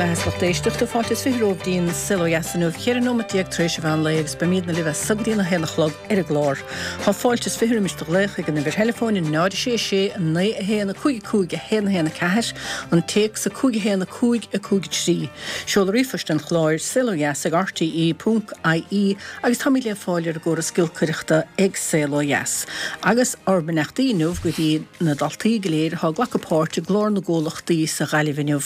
bheatha is lucht éisteachta, fáilte is 20 romhaibh dtí'n Saol Ó Dheas inniu, 14 nóimeat tar éis an mheán lae agus beimídne libh as so go dtí an 1 a chlog ar an gclár. Tá fáilte is 20 roimis do ghlaoch ag an uimhir theileafóin 0 6 6 9 1 5 5 1 1 4, an téacs 5 1 5 5 3. Seoladh ríomhphoist an chláir, saolodheas ag rte ponc ie agus táimid le fáil ar an gcóras giolcaireachta ag Saol Ó Dheas. Agus ár mbeannachtaí inniu go dtí na daltaí go léir atá ag glacadh páirt i gClár na gComhlachtaí sa Ghaillimh inniu.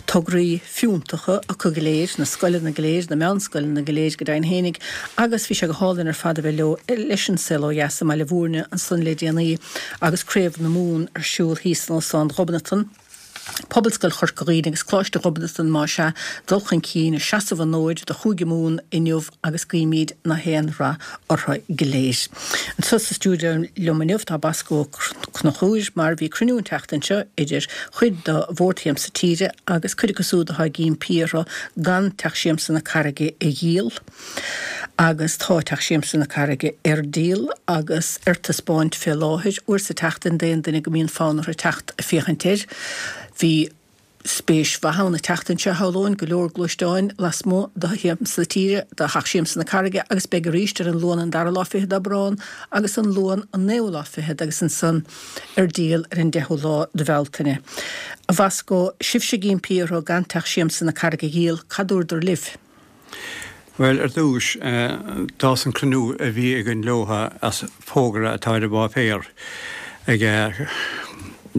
Tograí fiúntacha acu go léir, na scoileanna go léir, na meánscoileanna go léir go deimhin fhéinig agus bhí sé go hálainn ar fad a bheith leo leis an Saol Ó Dheas i mBaile Bhúirne ansan le déanaí agus Craobh na Mumhan ar siúl thíos in Óstán Ghobnatan. Pobalscoil Chorca Dhuibhne agus Coláiste Ghobnatan más ea, dul chun cinn ag seasamh an fhóid do Chúige Mumhan inniu agus guímid na haon rath orthu go léir. Anseo sa stiúideo liom inniu tá Bosco Ó Conchúir mar bhí cruinniú an tseachtain seo idir chuid de Bhord Shiamsa Tíre agus cuid acu siúd atá ag impí orthu gan Teach Siamsa na Carraige a dhíol. Agus tá Teach Siamsa na Carraige ar díol agus ar taispeáint fé láthair, uair sa tseachtain d'aon duine go mbíonn fonn orthu teacht ag féachaint air. Bhí spéis mhaith ann an tseachtain seo, shamhlóinn, go leor gluaisteáin lasmuigh de Shiamsa Tíre, de Theach Siamsa na Carraige agus beidh arís ar an Luan an dara lá fichead d'Aibreán agus an Luan an naoú lá fichead agus ansan ar díol ar an deichiú lá de Bhealtaine. A Bhosco, sibhse ag impí orthu gan Teach Siamsa na Carraige a dhíol, cad dúradar libh? Bhuel, ar dtús, d'fhás an cruinniú a bhí againn leo as fógra atá ar an bpáipéar ag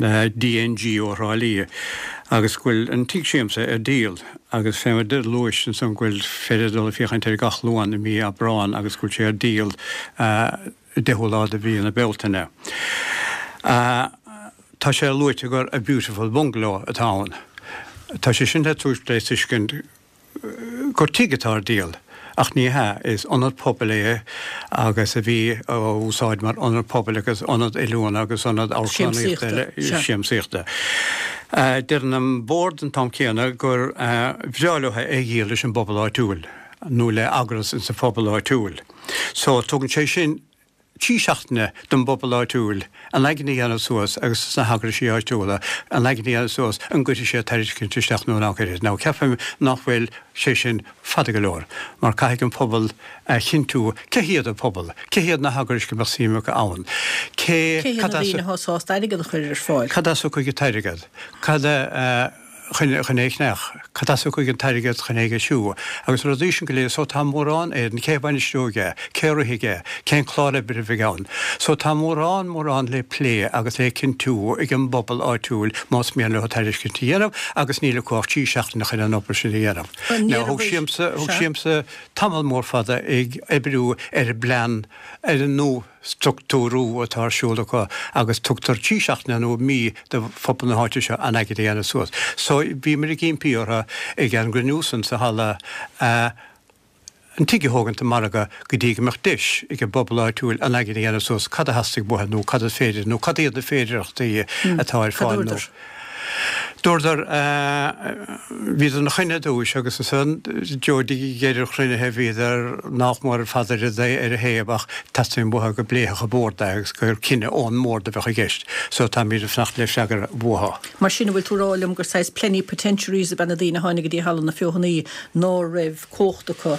DNG ó Thrá Lí agus go bhfuil an tigh siamsa ar díol agus fé mar a luais ansan go bhfuil féidir dul ag féachaint air gach Luan i mí Aibreán agus go bhfuil sé ar díol 10ú lá de mhí na Bealtaine. Tá sé luaite gur a beautiful bungalow atá ann. Tá sé sin le tabhairt le tuiscint gur tigh atá ar díol, ach ní hea, is ionad pobail é agus a bhí á úsáid mar ionad pobail agus ionad oiliúna agus ionad amharclannaíochta eile, siamsaíochta. Deireann an Bord an t-am céanna gur bhreá leo é a dhíol leis an bpobal áitiúil nó le eagras insa phobal áitiúil. So, tugann sé sin 3 seachtaine don bpobal áitiúil a n-aigne a dhéanamh suas agus dos na heagraisí áitiúla a n-aigne a dhéanamh suas an gcuirfidh siad tairiscint isteach nó nach gcuirfidh. Now ceapaim nach bhfuil sé sin fada go leor mar caithfidh an pobal a chinntiú cé hiad an pobal, cé hiad na heagrais go mbeadh suim acu ann, cé, Cé hiad na daoine atá sásta airgead a chur ar fáil? Cad as a thiocfaidh an t-airgead? Cad a. chun é a cheannach, cad as a thiocfaidh an t-airgead chun é a dheisiú, agus na rudaí sin go léir. So tá mórán air, cé a bhainisteoidh é, cé a rithfidh é, cén clár oibre a bheidh ann. So tá mórán, mórán le plé agus le cinntiú ag an bpobal áitiúil más mian leo tairiscint a dhéanamh agus níl acu ach 3 seachtaine chun an obair sin a dhéanamh. Now thóg Siamsa, thóg Siamsa tamall mór fada ag oibriú ar an bplean, ar an nua. structúrú atá ar siúl acu agus tugtar 3 seachtaine nó mí do phobal na háite seo a n-aigne a dhéanamh suas. So bhíomar ag impí orthu ag an gcruinniú san sa halla an tigh a thógaint ar margadh go dtí go mbeadh deis ag an bpobal áitiúil a n-aigne a dhéanamh suas cad a theastaigh uathu nó cad is féidir nó cad iad na féidearthachtaí atá ar fáil nó Dúradar, bhíodar ina choinne ar dtúis agus ansan de dheireadh an chruinnithe bhíodar nách mór ar fad ar a thaobh ach teastaíonn uathu go bpléifeadh an bord é agus gur cinneadh ón mbord a bheadh i gceist. So táimid ag fanacht le freagra uathu. Mar sin, an bhfuil tú ag rá liom gur saghas plenipotentiaries ab ea na daoine a tháinig go dtí Halla na Feothanaí ná raibh cumhacht acu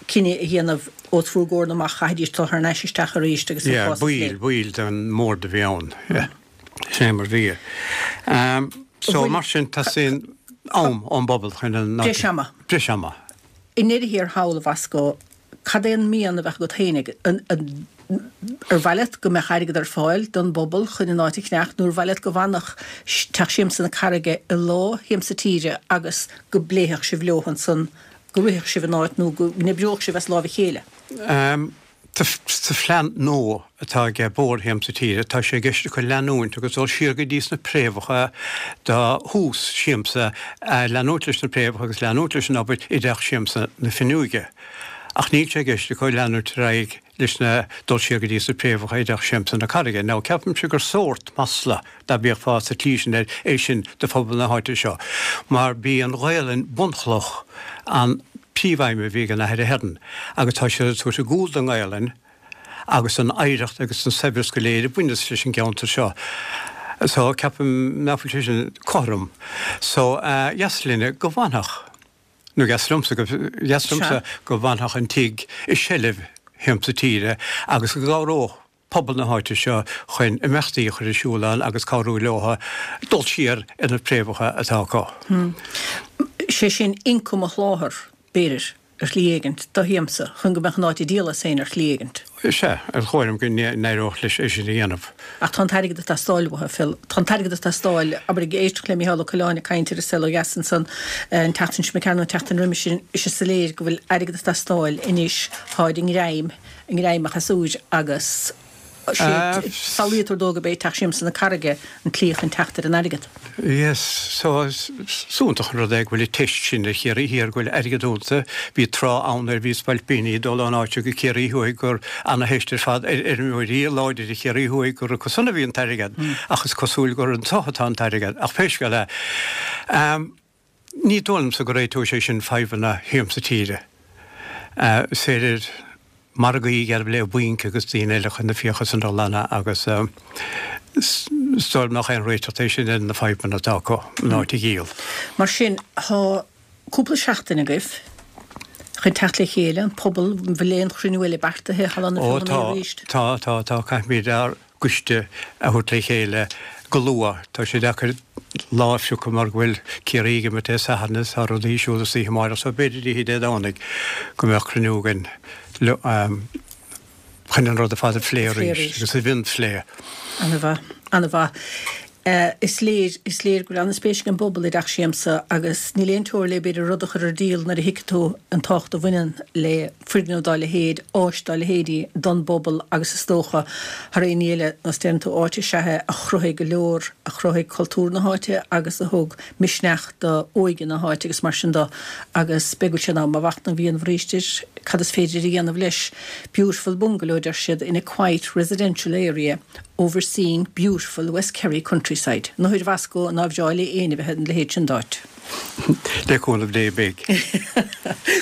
cinneadh a dhéanamh os bhur gcomhair amach, chaithfidís dul thar n-ais isteach arís agus an Yeah, cás a phlé? baill, baill den mbord a bhí ann. Yeah. Sin é mar bhí. So, mar sin, teastaíonn am ón bpobal chun an. Breis ama. Breis ama. I ndeireadh thiar thall, a Bhosco, cad é an mian a bheadh agat féinig? Ar mhaith leat go mbeadh airgead ar fáil don bpobal chun an áit a cheannach nó ar mhaith leat go bhfanfadh Teach Siamsa na Carraige i lámha Shiamsa Tíre agus go bpléifeadh sibh leo ansan, go rithfeadh sibh an áit nó go n-oibreodh sibh as láimh a chéile? Sa phlean nua atá ag Bord Shiamsa Tíre, tá sé i gceist acu leanúint agus dul siar go dtí sna préamhacha do thús Siamsa, leanúint leis na préamhacha agus leanúint leis an obair i dTeach Siamsa na Finneoige. Ach níl sé i gceist acu leanúint ar aghaidh leis na, dul siar go dtí sna préamhacha i dTeach Siamsa na Carraige. Now ceapaimse gur sórt masla, dá bhféachfá sa tslí sin air, é sin do phobal na háite seo, mar b'í an Ghaelainn bunchloch an príomhaidhm a bhí ag an Athair Ahern agus tá siad ag tabhairt a gcúl don nGaelainn agus don oidhreacht agus don saibhreas go léir a bhaineas leis an gceantar seo. So ceapaim nach bhfuil sé sin cothrom. So dheas linne go bhfanfadh, nó dheas liomsa go, dheas liomsa go bhfanfadh an tigh i seilbh Shiamsa Tíre agus go gcabhródh pobal na háite seo chun imeachtaí a chur ar siúl ann agus cabhrú leo dul siar ar na préamhacha atá acu. Sé sin ioncam a sholáthar, b'fhéidir, ar shlí éigint, do Shiamsa, chun go mbeadh an áit ag díol as féin ar shlí éigint. Sea, ar dhóigh liom go n-éireodh leis é sin a dhéanamh. Ach tá an t-airgead ag teastáil uathu, Phil. Tá an t-airgead ag teastáil. Abair, ag éisteacht le Micheál Ó Coileáin ag caint ar An Saol Ó Dheas ansan an tseachtain seo imigh nó an tseachtain roimis sin, is é soiléir go bhfuil airgead ag teastáil anois, táid i ngreim. i ngreim an chasúir agus samhlaítear dó gurb é Teach Siamsa na Carraige an tslí chun teacht ar an airgead. Yes, so is iontach an rud é go bhfuil an teist sin ar Chiarraí Thiar, go bhfuil airgead iontu. Bhí tráth ann nuair a bhí spailpíní ag dul ón áit seo go Ciarraí Thuaidh gur ana-theist ar fad ar fheirmeoirí láidre Chiarraí Thuaidh gur acu san a bhí an t-airgead. Ach is cosúil gur anseo atá an t-airgead. Ach pé scéal é. Ní dóigh liomsa go réiteoidh sé sin fadhbanna Shiamsa Tíre. Is féidir margaí a dhéanamh le bainc agus daoine eile chun na fiacha san a ghlanadh agus is dóigh liom nach aon réiteach é sin ar na fadhbanna atá acu, an áit a dhíol. Mar sin, tá cúpla seachtain agaibh chun teacht le chéile, an pobal, an bhfuil aon chruinniú eile beartaithe thar na Ó tá, tá, tá, tá, caithfimid ár gcoiste a thabhairt le chéile go luath. Tá sé deacair lá a phiocadh mar go bhfuil Ciarraí ag imirt Dé Sathairn is tá rudaí ar siúl istoíche amáireach so b'fhéidir oíche Dé Domhnaigh go mbeadh cruinniú againn chun an rud ar fad a phlé arís agus a mhionphlé. Ana-mhaith, ana-mhaith. Is léir, is léir go bhfuil an-spéis ag an bpobal i dTeach Siamsa agus níl aon teora le b'fhéidir rud a chur ar díol nuair a thuigfidh tú an tábhacht a bhaineann le foirgneamh dá leithéid, áis dá leithéidí don bpobal agus is dócha, thar aon ní eile, nós deireann tú, áit is ea é a chruthaigh go leor, a chruthaigh cultúr na háite agus a thug misneach do óige na háite agus mar sin de agus beidh go bhfuil sé in am a mhachnamh a dhéanamh arís ar cad is féidir a dhéanamh leis. Beautiful bungalow, deir siad, in a quiet residential area overseeing beautiful West Kerry countryside. Nuair a bhascó ná bhreá le éinne bheith ina leithéid sin d'áit. Le cúnamh Dé beidh.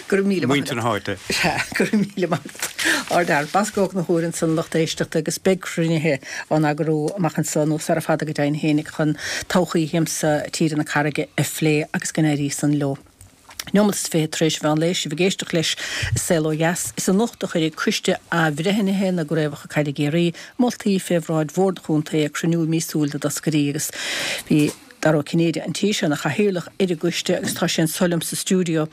Go raibh míle maith agat. Muintir na háite. Sea, go raibh míle maith agat. Ardfhear. Bosca Ó Conchúir ansan lucht éisteachta agus beidh cruinnithe á n-eagrú amach anso nó sara fada go deimhin fhéinig chun todhchaí Shiamsa Tíre na Carraige a phlé agus go n-éirí san leo. Neomat is 20 tar éis an mheán lae, sibh ag éisteacht leis An Saol Ó Dheas. Is anocht a chuirfidh Coiste Athbhreithnithe na gCraobhacha Caide i gCiarraí moltaí fé bhráid Bhord an Chontae ag cruinniú míosúil na dtoscairí agus bhí Dara Ó Cinnéide an tí seo ina chathaoirleach ar an gcoiste agus tá sé anso liom sa stiúideo.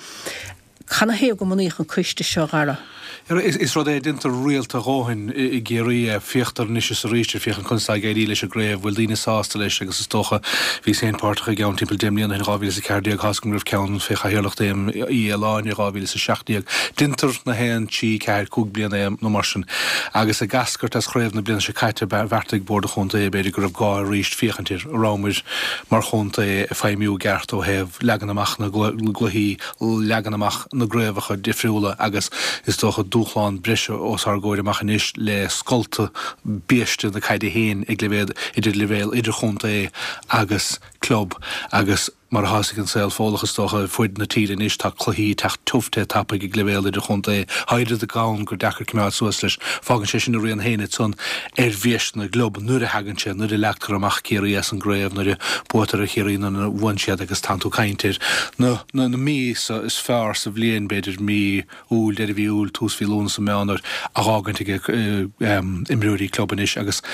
Canathaobh go mbunaíodh an coiste seo, a Dhara? Is rud é a déantar rialta a dhóthain i gCiarraí é. Féachtar anois is arís ar féachaint conas atá ag éirí leis an gcraobh, bhfuil daoine sásta leis agus is dócha, bhíos féin páirteach i gceann timpeall deich mbliana ó shin, 2014, tá's agam go raibh ceann fé chathaoirleacht Éamoin Uí Fhaoláin i 2017. Déantar na haon trí, ceathair, cúig bliana é nó mar sin. Agus ag eascairt as chraobh na bliana seo caite, bheartaigh Bord an Chontae b'fhéidir go raibh gá arís féachaint ar an rabhamar mar chontae ag feidhmiú i gceart ó thaobh leagan amach na gcluichí, leagan amach na gcraobhacha difriúla agus is dócha dúshlán breise os ár gcomhair amach anois le scolta biaiste na caide féin ag leibhéal idir leibhéal idirchontae agus club agus mar atá ag an saol fódlach is dócha ar fuaid na tíre anois tá cluichí ag teacht tiubh te tapaidh ag leibhéal idirchontae. Tá oiread ann gur deacair coimeád suas leis. Fágann sé sin a rian féin ansan ar bhiais na gclub nuair a thagann sé, nuair a leagtar amach Ciarraí as an gcraobh, nuair a buaitear ar Chiarraí nuair a bhuann siad agus tánn tú ag caint ar na na míosa is fearr sa bhliain, b'fhéidir mí Iúil, deireadh mhí Iúil, tús mhí Lúnasa, Meán Fhómhair, á dh'fhágaint ag imreoirí club anois agus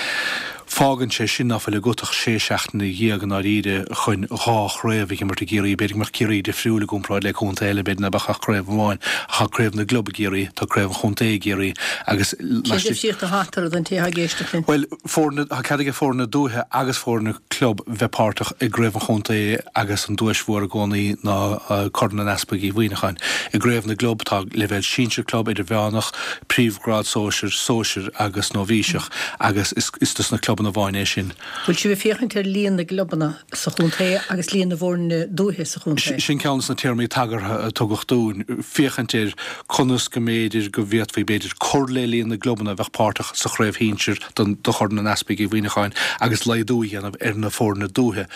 fágann sé sin ná fuil agat ach sé seachtaine dhéag i ndáiríre chun dhá chraobh a dh'imirt i gCiarraí. B'fhéidir go mbeadh Ciarraí difriúil i gcomparáid le contae eile, b'fhéidir ná beadh ach craobh amháin ach tá craobh na gclub i gCiarraí, tá craobh an chontae i gCiarraí agus Cén difríocht atá eatarthu don té atá ag éisteacht linn? Bhuel, foirne, tá cead ag foirne dúiche agus foirne club bheith páirteach i gcraobh an chontae agus an duais mhór i gcónaí ná Corn an Easpaig Uí Mhuimhneacháin. I gcraobh na gclub tá leibhéal sinsir club, idirmheánach, príomhghrád sóisir, sóisir agus nóibhíseach agus is dos na clubanna amháin é sin. Bhfuil sibh ag féachaint ar líon na gclubanna sa chontae agus líon na bhfoirne dúiche sa chontae? Sin ceann des na téarmaí tagartha a tugadh dúinn, féachaint ar conas go mb'fhéidir go bhféadfaí b'fhéidir cur le líon na gclubanna a bheadh páirteach sa chraobh shinsir do Chorn an Easpaig Uí Mhuimhneacháin agus laghdú a dhéanamh ar na foirne dúiche.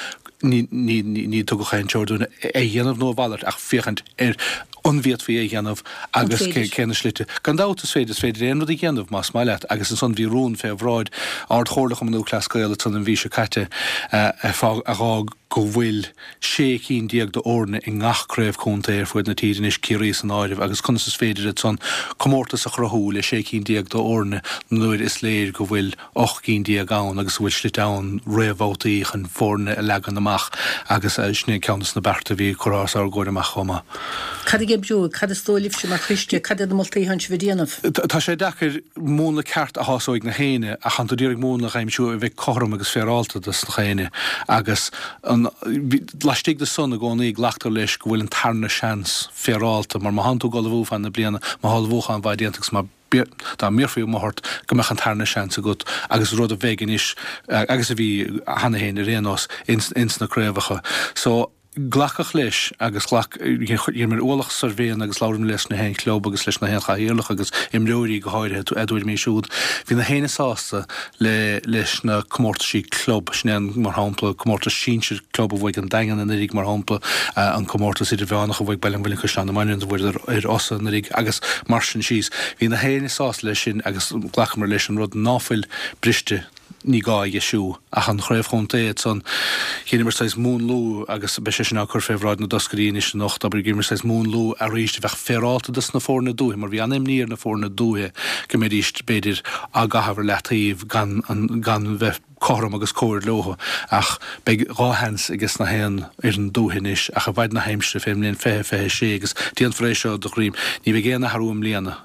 Ní, ní, ní tugadh aon treoir dúinn é a dhéanamh nó a mhalairt ach féachaint ar an bhféadfaí é a dhéanamh agus cé, cé na slite. Gan dabht is féidir, is féidir aon rud a dhéanamh más maith leat agus ansan bhí rún fé bhráid Ard-Chomhairle Chumann Lúthchleas Gael ansan an mhí seo caite a fhág go bhfuil 16 cinn d'fhoirne i ngach craobh contae ar fuaid na tíre anois, Ciarraí san áireamh, agus conas is féidir ansan comórtas a chruthú le 16 cinn d'fhoirne nuair is léir go bhfuil 18 cinn ann agus go bhfuil slite ann réamhbhabhtaí chun foirne a leagan amach agus sin é ceann de na bearta a bhí curtha os ár gcomhair amach chomh maith. Cad a oibreoidh? Cad is dóigh libhse mar choiste? Cad iad na moltaí atánn sibh a déanamh? Tá sé deacair múnla ceart a shásóidh na héinne ach tánn tú d'iarraidh múnla a aimsiú a bheidh cothrom agus féaráilte dos na héinne agus an, laistigh de san i gcónaí glactar leis go bhfuil an tarna seans féaráilte mar má thánn tú ag ullmhú fan na bliana, má thá ullmhúchán mhaith déanta agus má, dá mbéarfaí amuigh ort go mbeadh an tarna seans agat agus rud a bheidh anois agus a bhí cheana féin ar aon nós ins na craobhacha. So, glacadh leis agus ghlac, dheineamar ualach suirbhéanna agus labhramar leis na haon chlub agus leis na haon chathaoirleach agus imreoirí go háirithe a dtuairimí siúd. Bhí na héinne sásta le leis na comórtaisí club, sin é an, mar shampla, comórtas sinsir club a bhuaigh an Daingean anuraidh, mar shampla, an comórtas idirmheánach a bhuaigh Baile an Mhuilinn Caisleán na Maighneann a bhuadar ar Osa anuraidh agus mar sin síos. Bhí na héinne sásta leis sin agus ghlacamar leis an rud ná fuil briste ní gá a dheisiú. Ach an chraobh chontae ansan, dheineamar saghas múnlú agus beidh sé sin á cur fé bhráid na dtoscairí anois anocht, abair, dheineamar saghas múnlú arís a bheadh féarálta dos na foirne dúiche mar bhí an-imní ar na foirne dúiche go mbeidís, b'fhéidir, á gcaitheamh ar leataobh gan an, gan bheith cothrom agus cóir leo. Ach beidh 2 sheans ages na haon fhoireann dúiche anois ach i bhfaid na haimsire fén mbliain 2026 agus déanfar é seo de dhroim, ní bheidh aon athrú i mbliana.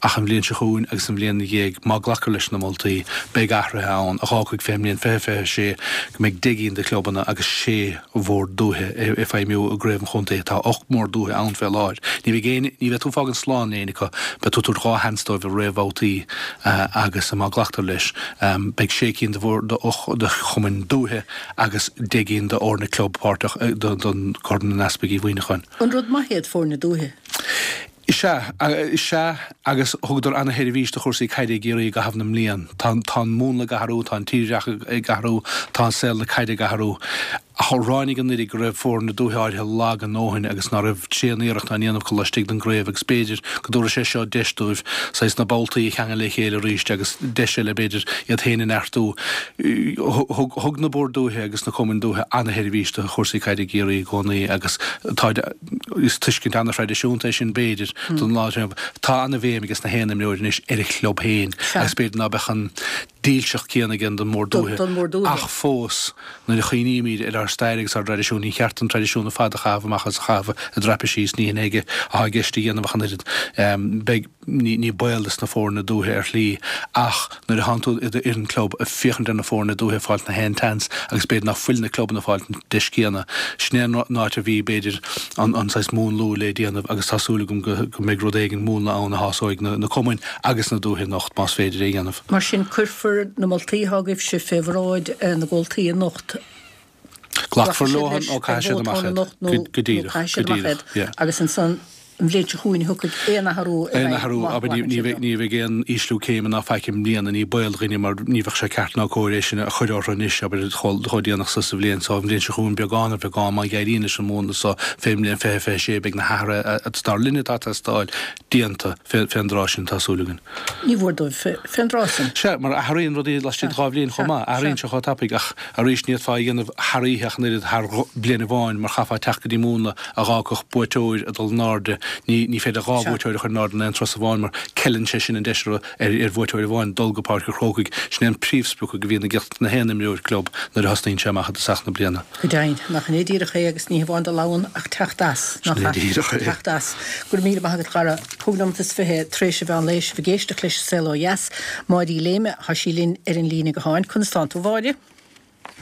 Ach an bhliain seo chugainn agus an bhliain ina dhiaidh, má glactar leis na moltaí, beidh athruithe ann a dh'fhágfaidh fén mbliain 2026 go mbeidh 10 gcinn de chlubanna agus sé bhord dúiche ag feidhmiú i gcraobh an chontae. Tá 8 mbord dúiche ann fé láthair. Ní bheidh aon, ní bheidh tú ag fágaint slán le éinne acu. Beidh tú ag tabhairt 2 sheans dóibh i réamhbhabhtaí agus má glactar leis, beidh sé cinn de bhord, de chumainn dúiche agus 10 gcinn d'fhoirne club páirteach don Corn an Easpaig Uí Mhuineacháin. An rud maith iad foirne dúiche? Is ea, is ea, agus thugadar ana-sheirbhís do chúrsaí caide i gCiarraí i gcaitheamh na mblian. Tá, tá an múnla ag athrú, tá an tírdhreach ag athrú, tá an saol na caide ag athrú. Ach ráinig anuraidh go raibh foirne dúiche áirithe lag a ndóthain agus ná raibh tréan-iarracht á ndéanamh acu laistigh den gcraobh agus b'fhéidir go dtabharfaidh sé seo deis dóibh saghas na boltaí a cheangal le chéile arís agus deis eile b'fhéidir iad féin a neartú. Thug, thug na boird dúiche agus na cumainn dúiche ana-sheirbhís do chúrsaí caide i gCiarraí i gcónaí agus tá, Is tuiscint an-thraidisiúnta é sin, b'fhéidir, don lá atá inniu. Tá an-bhéim ages na haon imreoir anois ar a chlub féin agus b'fhéidir ná beadh an dílseacht céanna aige don mbord dúiche. Ach fós, nuair a chuimhnímid ar ár stair agus ár dtraidisiún, ní cheart an traidisiún ar fad a chaitheamh amach agus a chaitheamh i dtraipisí is ní hin é atá i gceist a dhéanamh ach an oiread. Beidh. Ní baol dos na foirne dúiche ar shlí ach nuair a thánn tú i d'fhoireann club ag féachaint ar na foirne dúiche ag fáilt na haon tseans agus b'fhéidir ná fuil na clubanna ag fáilt an deis céanna. Sin é an áit a bhí, b'fhéidir, an an saghas múnlú le déanamh agus tá súil agam go go mbeidh rud éigin, múnla ann a shásóidh na na cumainn agus na dúiche anocht más féidir é a dhéanamh. Mar sin, cuirfear na moltaí atá agaibhse fé bhráid na gcomhaltaí anocht. Glacfar leo nó caithfidh siad amach iad. Go díreach, go díreach, yeah. Agus ansan an bhliain seo chugainn thiocfaidh aon athrú i bhfeidhm. Aon athrú, abair, ní bheidh, ní bheidh aon ísliú céime ná faic i mbliana, ní baol do dhaoine mar ní bheadh sé ceart ná cóir é sin a chur orthu anois, abair, chomh déanach so sa bhliain so. An bhliain seo chugainn beagán ar bheagán má éiríonn leis an múnla so fén mbliain 2026 beidh na hathruithe dar linne atá ag teastáil déanta fén dtráth sin, tá súil againn. Ní mhór dóibh fén dtráth sin. Sea, mar athraíonn rudaí laistigh de 2 bhliain chomh maith. Athraíonn sé chomh tapaidh. Ach arís, ní fhéadfá é a dhéanamh thar oíche ach an oiread, thar bliain amháin, mar chaithfeá teacht go dtí múnla a dh'fhágfadh buaiteoir ag dul in airde. Ní ní féidir 2 bhuaiteoir a chur in airde in aon turas amháin mar ceileann sé sin an deis ar ar bhuaiteoir amháin dul go Páirc an Chrócaigh. Sin é an príomhsprioc a bhíonn ag na haon imreoir club nuair a thosnaíonn sé amach i dtosach na bliana. Go deimhin, nach in é díreach é agus ní hamháin dul ann ach teacht as, nach ea? Sin é díreach é. Teacht as. Go raibh míle maith agat, a Dhara. 5 nóimeat is 20 tar éis an mheán lae, sibh ag éisteacht leis an Saol Ó Dheas. Máire Uí Léime, tá sí linn ar an líne gutháin. Conas tánn tú, a Mháire?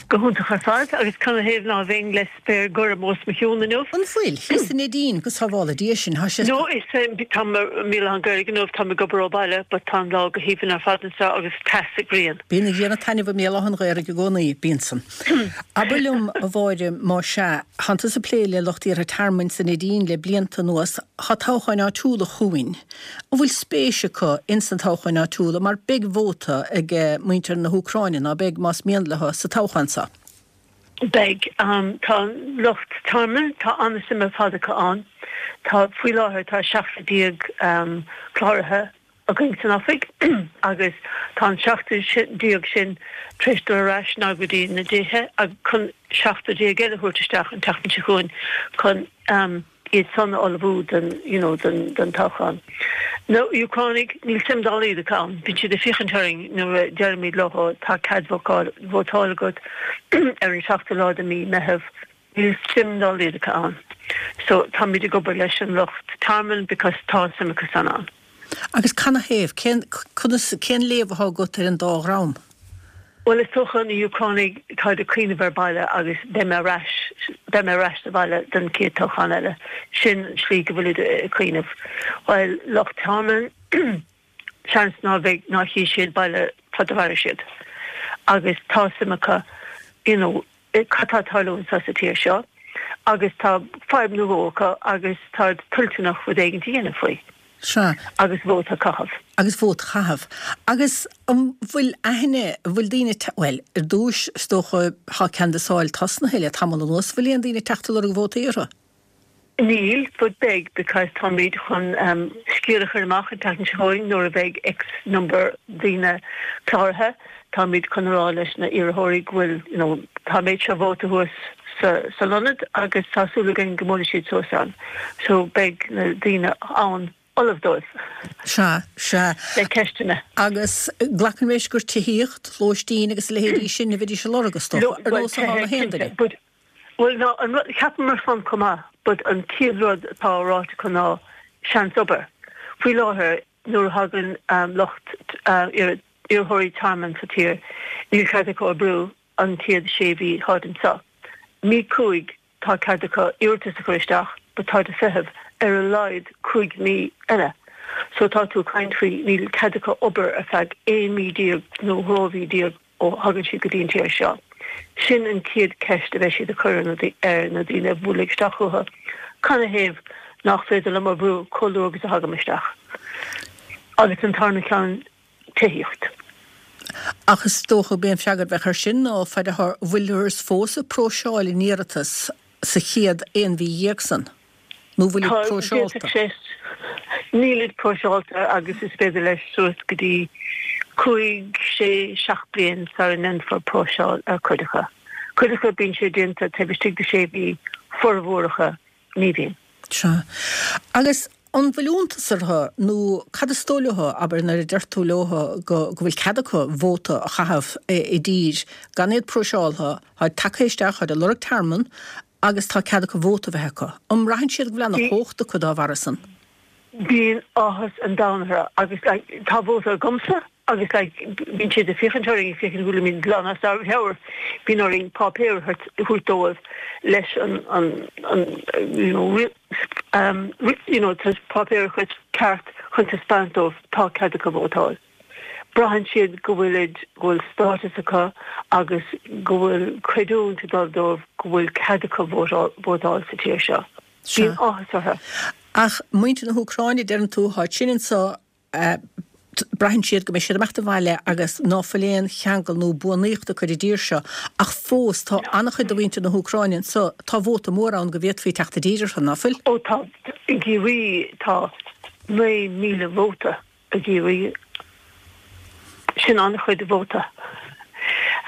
Go hiontach ar fad, agus canathaobh ná bheinn le spéir gorm os mo chionn inniu? An bhfuil? Thíos in Neidín, go sábhála Dia sinn, tá sé. No, is táim i mBéal Átha an Ghaorthaidh inniu, táim ag obair ó bhaile, but tá an lá go haoibhinn ar fad anseo agus teas sa ghrian. Bíonn an ghrian ag taitneamh i mBéal Átha an Ghaorthaidh i gcónaí, bíonn san. Abair liom, a Mháire, má sea, thánn tusa ag plé le lucht iarrtha tearmainn sa Neidín le blianta anuas, tá toghcháin áitiúla chugainn. An bhfuil spéis acu ins na toghcháin áitiúla mar beidh vóta ag muintir na hÚcráine, ná beidh, más mian leo, sa toghchán seo? Beidh. Tá an lucht tearmainn, tá an-suim ar fad acu ann. Tá, faoi láthair, tá 17 cláraithe againn san oifig agus tá an 17 sin tar éis dul ar ais now go dtí na dtithe chun 17 eile a thabhairt isteach an tseachtain seo chugainn chun iad san a ullmhú don, you know, don, don toghchán. Na Úcránaigh, níl suim dá laghad acu ann. Bíonn siad ag féachaint orainn nuair a deirimid leo tá cead vótáil, vótáil agat ar an seachtú lá de mí Meitheamh. Níl suim dá laghad acu ann. So táimid ag obair leis an lucht tearmainn because tá suim acu san ann. Agus canathaobh? Cén, conas, cén léamh atá agat ar an dá dhream? Bhuel, is dócha na Úcránaigh, táid ag cuimhneamh ar baile agus beidh mé ar ais, beidh mé ar ais sa bhaile don chéad toghchán eile. Sin an slí go bhfuilid ag cuimhneamh. While lucht tearmainn, seans ná bheidh, ná chífidh siad baile fad a mhairfidh siad. Agus tá suim acu, you know, cad tá ag tarlú anseo sa tír seo agus tá fadhb nó dhó acu agus táid toilteanach rud éigin a dhéanamh faoi. Sea. Agus vóta a chaitheamh. Agus vóta a chaitheamh. Agus an bhfuil aithne, an bhfuil daoine, bhuel, ar dtúis, is dócha, tá canbhasáil tosnaithe le tamall anuas, bhfuil aon daoine ag teacht ag lorg vótaí orthu? Níl, but beidh, because táimid chun scéal a chur amach an tseachtain seo chugainn nuair a bheidh X number daoine cláraithe, táimid chun a rá leis na iarrthóirí go bhfuil, you know, tá an méid seo vóta thuas sa san ionad agus tá súil againn go mbuailfidh siad suas ann. So beidh na daoine ann ullamh dóibh. Sea, sea. Le ceisteanna. Agus glacaim leis gur tithíocht, lóistín agus a leithéidí sin a bheidís ag lorg, is dócha, ar nós atá na haon duine. Bhuel, ná, an rud, cheapamar san chomh maith, but an chéad rud atá ráite acu ná seans obair. Faoi láthair, nuair a thagann lucht iarrthóirí tearmainn sa tír, níl cead acu oibriú an chéad sé mhí táid anseo. Mí 5, tá cead acu iarratas a chur isteach, but táid ag feitheamh ar a laghad 5 mí eile. So tá tú ag caint faoi níl cead acu obair ar feadh 11 mí nó 12 mhí ó thagann siad go dtí an tír seo. Sin an chéad cheist a bheidh siad ag cur ar na daoine a bhuailfidh isteach chucu, canathaobh nach féidir liom oibriú chomh luath agus a thagaim isteach? Agus an tarna ceann, tithíocht. Ach is dócha gurb é an freagra a bheadh air sin ná fad a bhfuilthear fós ag próiseáil an iarratas sa chéad 11 mhí san. Nó bhfuilid próiseálta? Nílid próiseálta agus is féidir leis suas go dtí 5, 6, 7 bliain sara ndéanfar próiseáil ar cuid acu. Cuid acu bíonn sé déanta taobh istigh de 6 mhí, formhór acu ní bhíonn. Sea. Agus an bhfuil iontas orthu nó cad is dóigh leo, abair, nuair a deir tú leo go bhfuil cead acu vóta a chaitheamh i dtír gan iad próiseáltha, táid tagtha isteach, táid ag lorg tearmann agus tá cead acu vóta a bheith acu. An mbraitheann siad go bhfuil ana-chumhacht acu dá bharra san? Bíonn áthas an domhain orthu agus like tá vóta agamsa agus like bíonn siad ag féachaint orainn ag féachaint go bhfuilimid glan as ár meabhair. Bíonn orainn páipéar a thabhairt dóibh leis an an an you know you know páipéar a chur ceart chun taispeáint dóibh tá cead acu vótáil. Braitheann siad go bhfuilid, go bhfuil stádas acu agus go bhfuil creidiúint ag dul dóibh go bhfuil cead acu vótáil sa tír seo. Bíonn áthas orthu. Ach muintir na hÚcráine, deireann tú, táid sin anso, braitheann siad go mbeidh siad ag imeacht abhaile agus ná fuil aon cheangal nó buanaíocht acu ar an dtír seo. Ach fós, tá an-chuid de mhuintir na hÚcráine anso, tá vóta mór ann go bhféadfaí teacht i dtír orthu, ná fuil? Ó tá, i gCiarraí tá 9,000 vóta. I gCiarraí. Sin an-chuid vóta.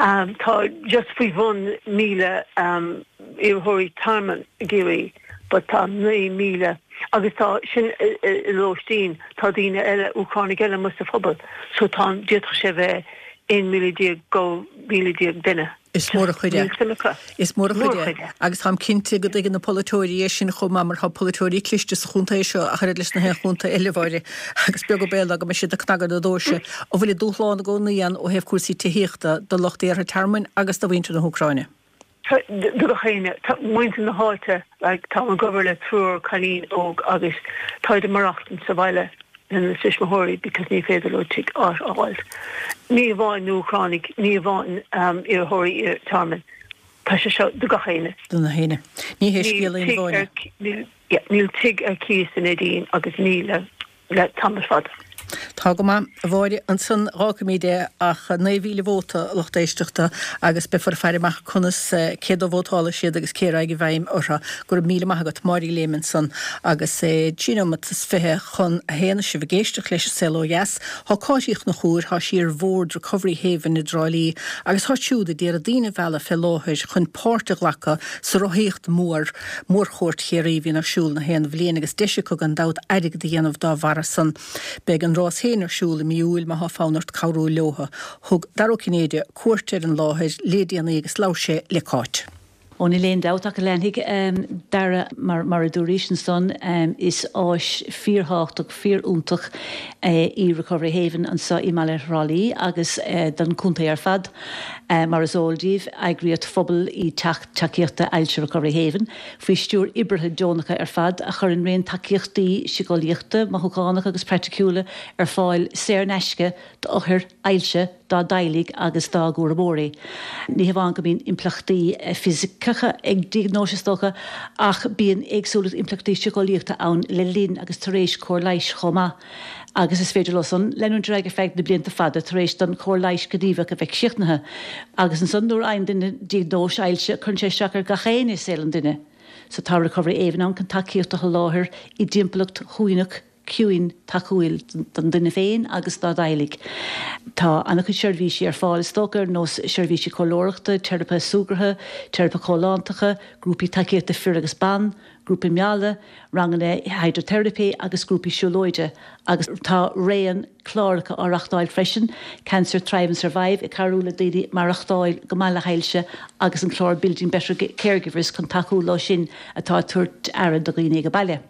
Tá just faoi bhun 1,000 iarrthóirí tearmainn i gCiarraí but tá 9,000 agus tá sin i lóistín, tá daoine eile, Úcránaigh eile amuigh sa phobal so tá, d'fhéadfadh sé bheith 11,000 12,000 duine. Is mór an chuid é. Is mór an chuid é. Agus táim cinnte go dtuigeann na polaiteoirí é sin chomh maith mar tá polaiteoirí cliste sa chontae seo ach oiread leis na haon chontae eile, a Mháire, agus beag an baol ná go mbeidh siad ag cnagadh na doirse. An bhfuil an dúshlán i gcónaí ann ó thaobh cúrsaí tithíochta do lucht iarrtha tearmainn agus do mhuintir na hÚcráine? Do gach éinne. Tá muintir na háite, like, táim ag obair le triúr cailín óg agus táid ag maireachtaint sa bhaile lena tuismitheoirí because ní féidir leo tigh áit a fháil. Ní amháin na Úcránaigh, ní amháin iarrthóirí tearmainn. Tá sé seo do gach éinne. Do gach éinne. Ní hé scéal aon Mháire. Níl tigh ar cíos in Neidín agus ní le le tamall fada. Tá go maith, a Mháire. Ansan dh'fhágfaimíd é ach 9,000 vóta, a lucht éisteachta, agus beifear ag faire amach conas, cé dó vótálfaidh siad agus cé a raghaidh i bhfeidhm orthu. Go raibh míle maith agat, Máire Léim ansan agus é trí nóimeat is 21 agus sibh ag éisteacht leis an Saol Ó Dheas. Thá Cáit Uí Chonchúir, thá sí ar bhord Recovery Haven i dTrá Lí agus thá siúd a d'iarraidh daoine a mhealladh fé láthair chun páirt a ghlacadh sa rothaíocht mhór, Mórchuairt Chiarraí a bhíonn ar siúl na haon bhliain agus deis acu gan dabht airgead a dhéanamh dá bharra san. Beidh an rás féin ar siúl i mí Iúil má thá fonn ort cabhrú leotha. Thug Dara Ó Cinnéide cuairt ar an láthair lé déanaí agus labhair sé le Cáit. Ó níl aon dabht ach go leanfaidh Dara mar a dúraís ansan is áis fíorthábhachtach, fíorfhiúntach í Recovery Haven anso i mbaile Thrá Lí agus don chontae ar fad. Mar is eol daoibh, eagraíocht phobail í Teach Tacaíochta Ailse Recovery Haven, faoi stiúir oibrithe deonacha ar fad, a chuireann raon tacaíochtaí síceolaíochta, mothúchánacha agus praiticiúla ar fáil saor in aisce d'othair ailse, dá dteaghlaigh agus dá gcúramóirí. Ní hamháin go mbíonn impleachtaí fisiceacha ag diagnóis, is dócha, ach bíonn éagsúlacht impleachtaí síceolaíochta ann le linn agus tar éis cóir leighis chomh maith. Agus is féidir leo san leanúint ar aghaidh ar feadh na blianta fada tar éis don chóir leighis ghníomhach a bheith críochnaithe. Agus ansan nuair a fhaigheann duine diagnóis ailse, cuireann sé isteach ar gach éinne i saol an duine. So tá Recovery Haven ann chun tacaíocht a sholáthar i dtimpeallacht shuaimhneach, ciúin, tacúil don duine féin agus dá dteaghlaigh. Tá an-chuid seirbhísí ar fáil is dócha, ar nós seirbhísí comhairleoireachta, teiripe súgartha, teiripe chomhlántacha, grúpaí tacaíochta fir agus ban, grúpaí meala, ranganna hidriteiripe agus grúpaí siúlóide agus tá raon cláracha á reachtáil freisin, Cancer Thrive and Survive ag cabhrú le daoine maireachtáil go maith le hailse agus an clár Building Better Caregivers chun tacú leo sin atá ag tabhairt aire do dhaoine ag baile.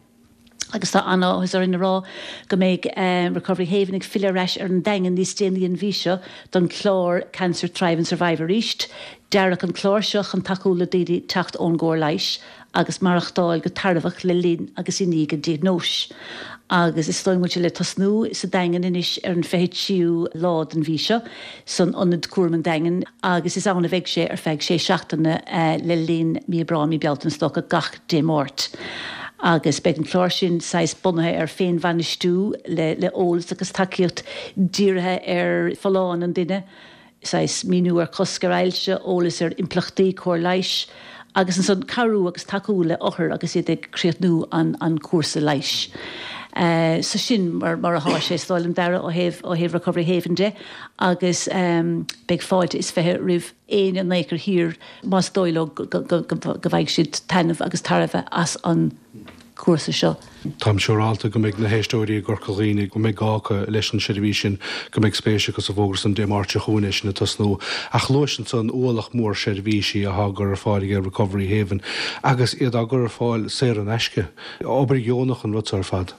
Agus tá an-áthas orainn a rá go mbeidh Recovery Haven ag filleadh ar ais ar an Daingean níos déanaí an mhí seo don chlár Cancer Thrive and Survive arís. Dearadh an clár seo chun tacú le daoine teacht ón gcóir leighis agus maireachtáil go tairbheach le linn agus i ndiaidh an diagnóis. Agus is dóigh go bhfuil sé le tosnú sa Daingean anois ar an 23ú lá den mhí seo san Ionad Cúraim an Daingin agus is ann a bheidh sé ar feadh sé seachtaine le linn mí Aibreán, mí Bealtaine is dócha, gach Dé Máirt. Agus beidh an clár sin saghas bunaithe ar féinbhainistiú le le eolas agus tacaíocht dírithe ar folláine an duine, saghas míniú ar chosc ar ailse, eolas ar impleachtaí cóir leighis agus ansan cabhrú agus tacú le othair agus iad ag críochnú an an cúrsa leighis. So sin mar mar athá sé is dóigh liom Dara ó thaobh ó thaobh Recovery Haven de agus beidh fáilte is 20 roimh éinne in aon chor thiar más dóigh leo go bhfaighidh siad taitneamh agus tairbhe as an gcúrsa seo. Táim siúrálta go mbeidh na héisteoirí i gCorca Dhuibhne, go mbeidh gá acu leis an seirbhís sin, go mbeidh spéis acu sa bhfógra san Dé Máirt seo chugainn é sin ag tosnú. Ach luais ansan ualach mór seirbhísí athá á gcur ar fáil ag Recovery Haven agus iad á gcur ar fáil saor in aisce. Obair dheonach an rud seo ar fad.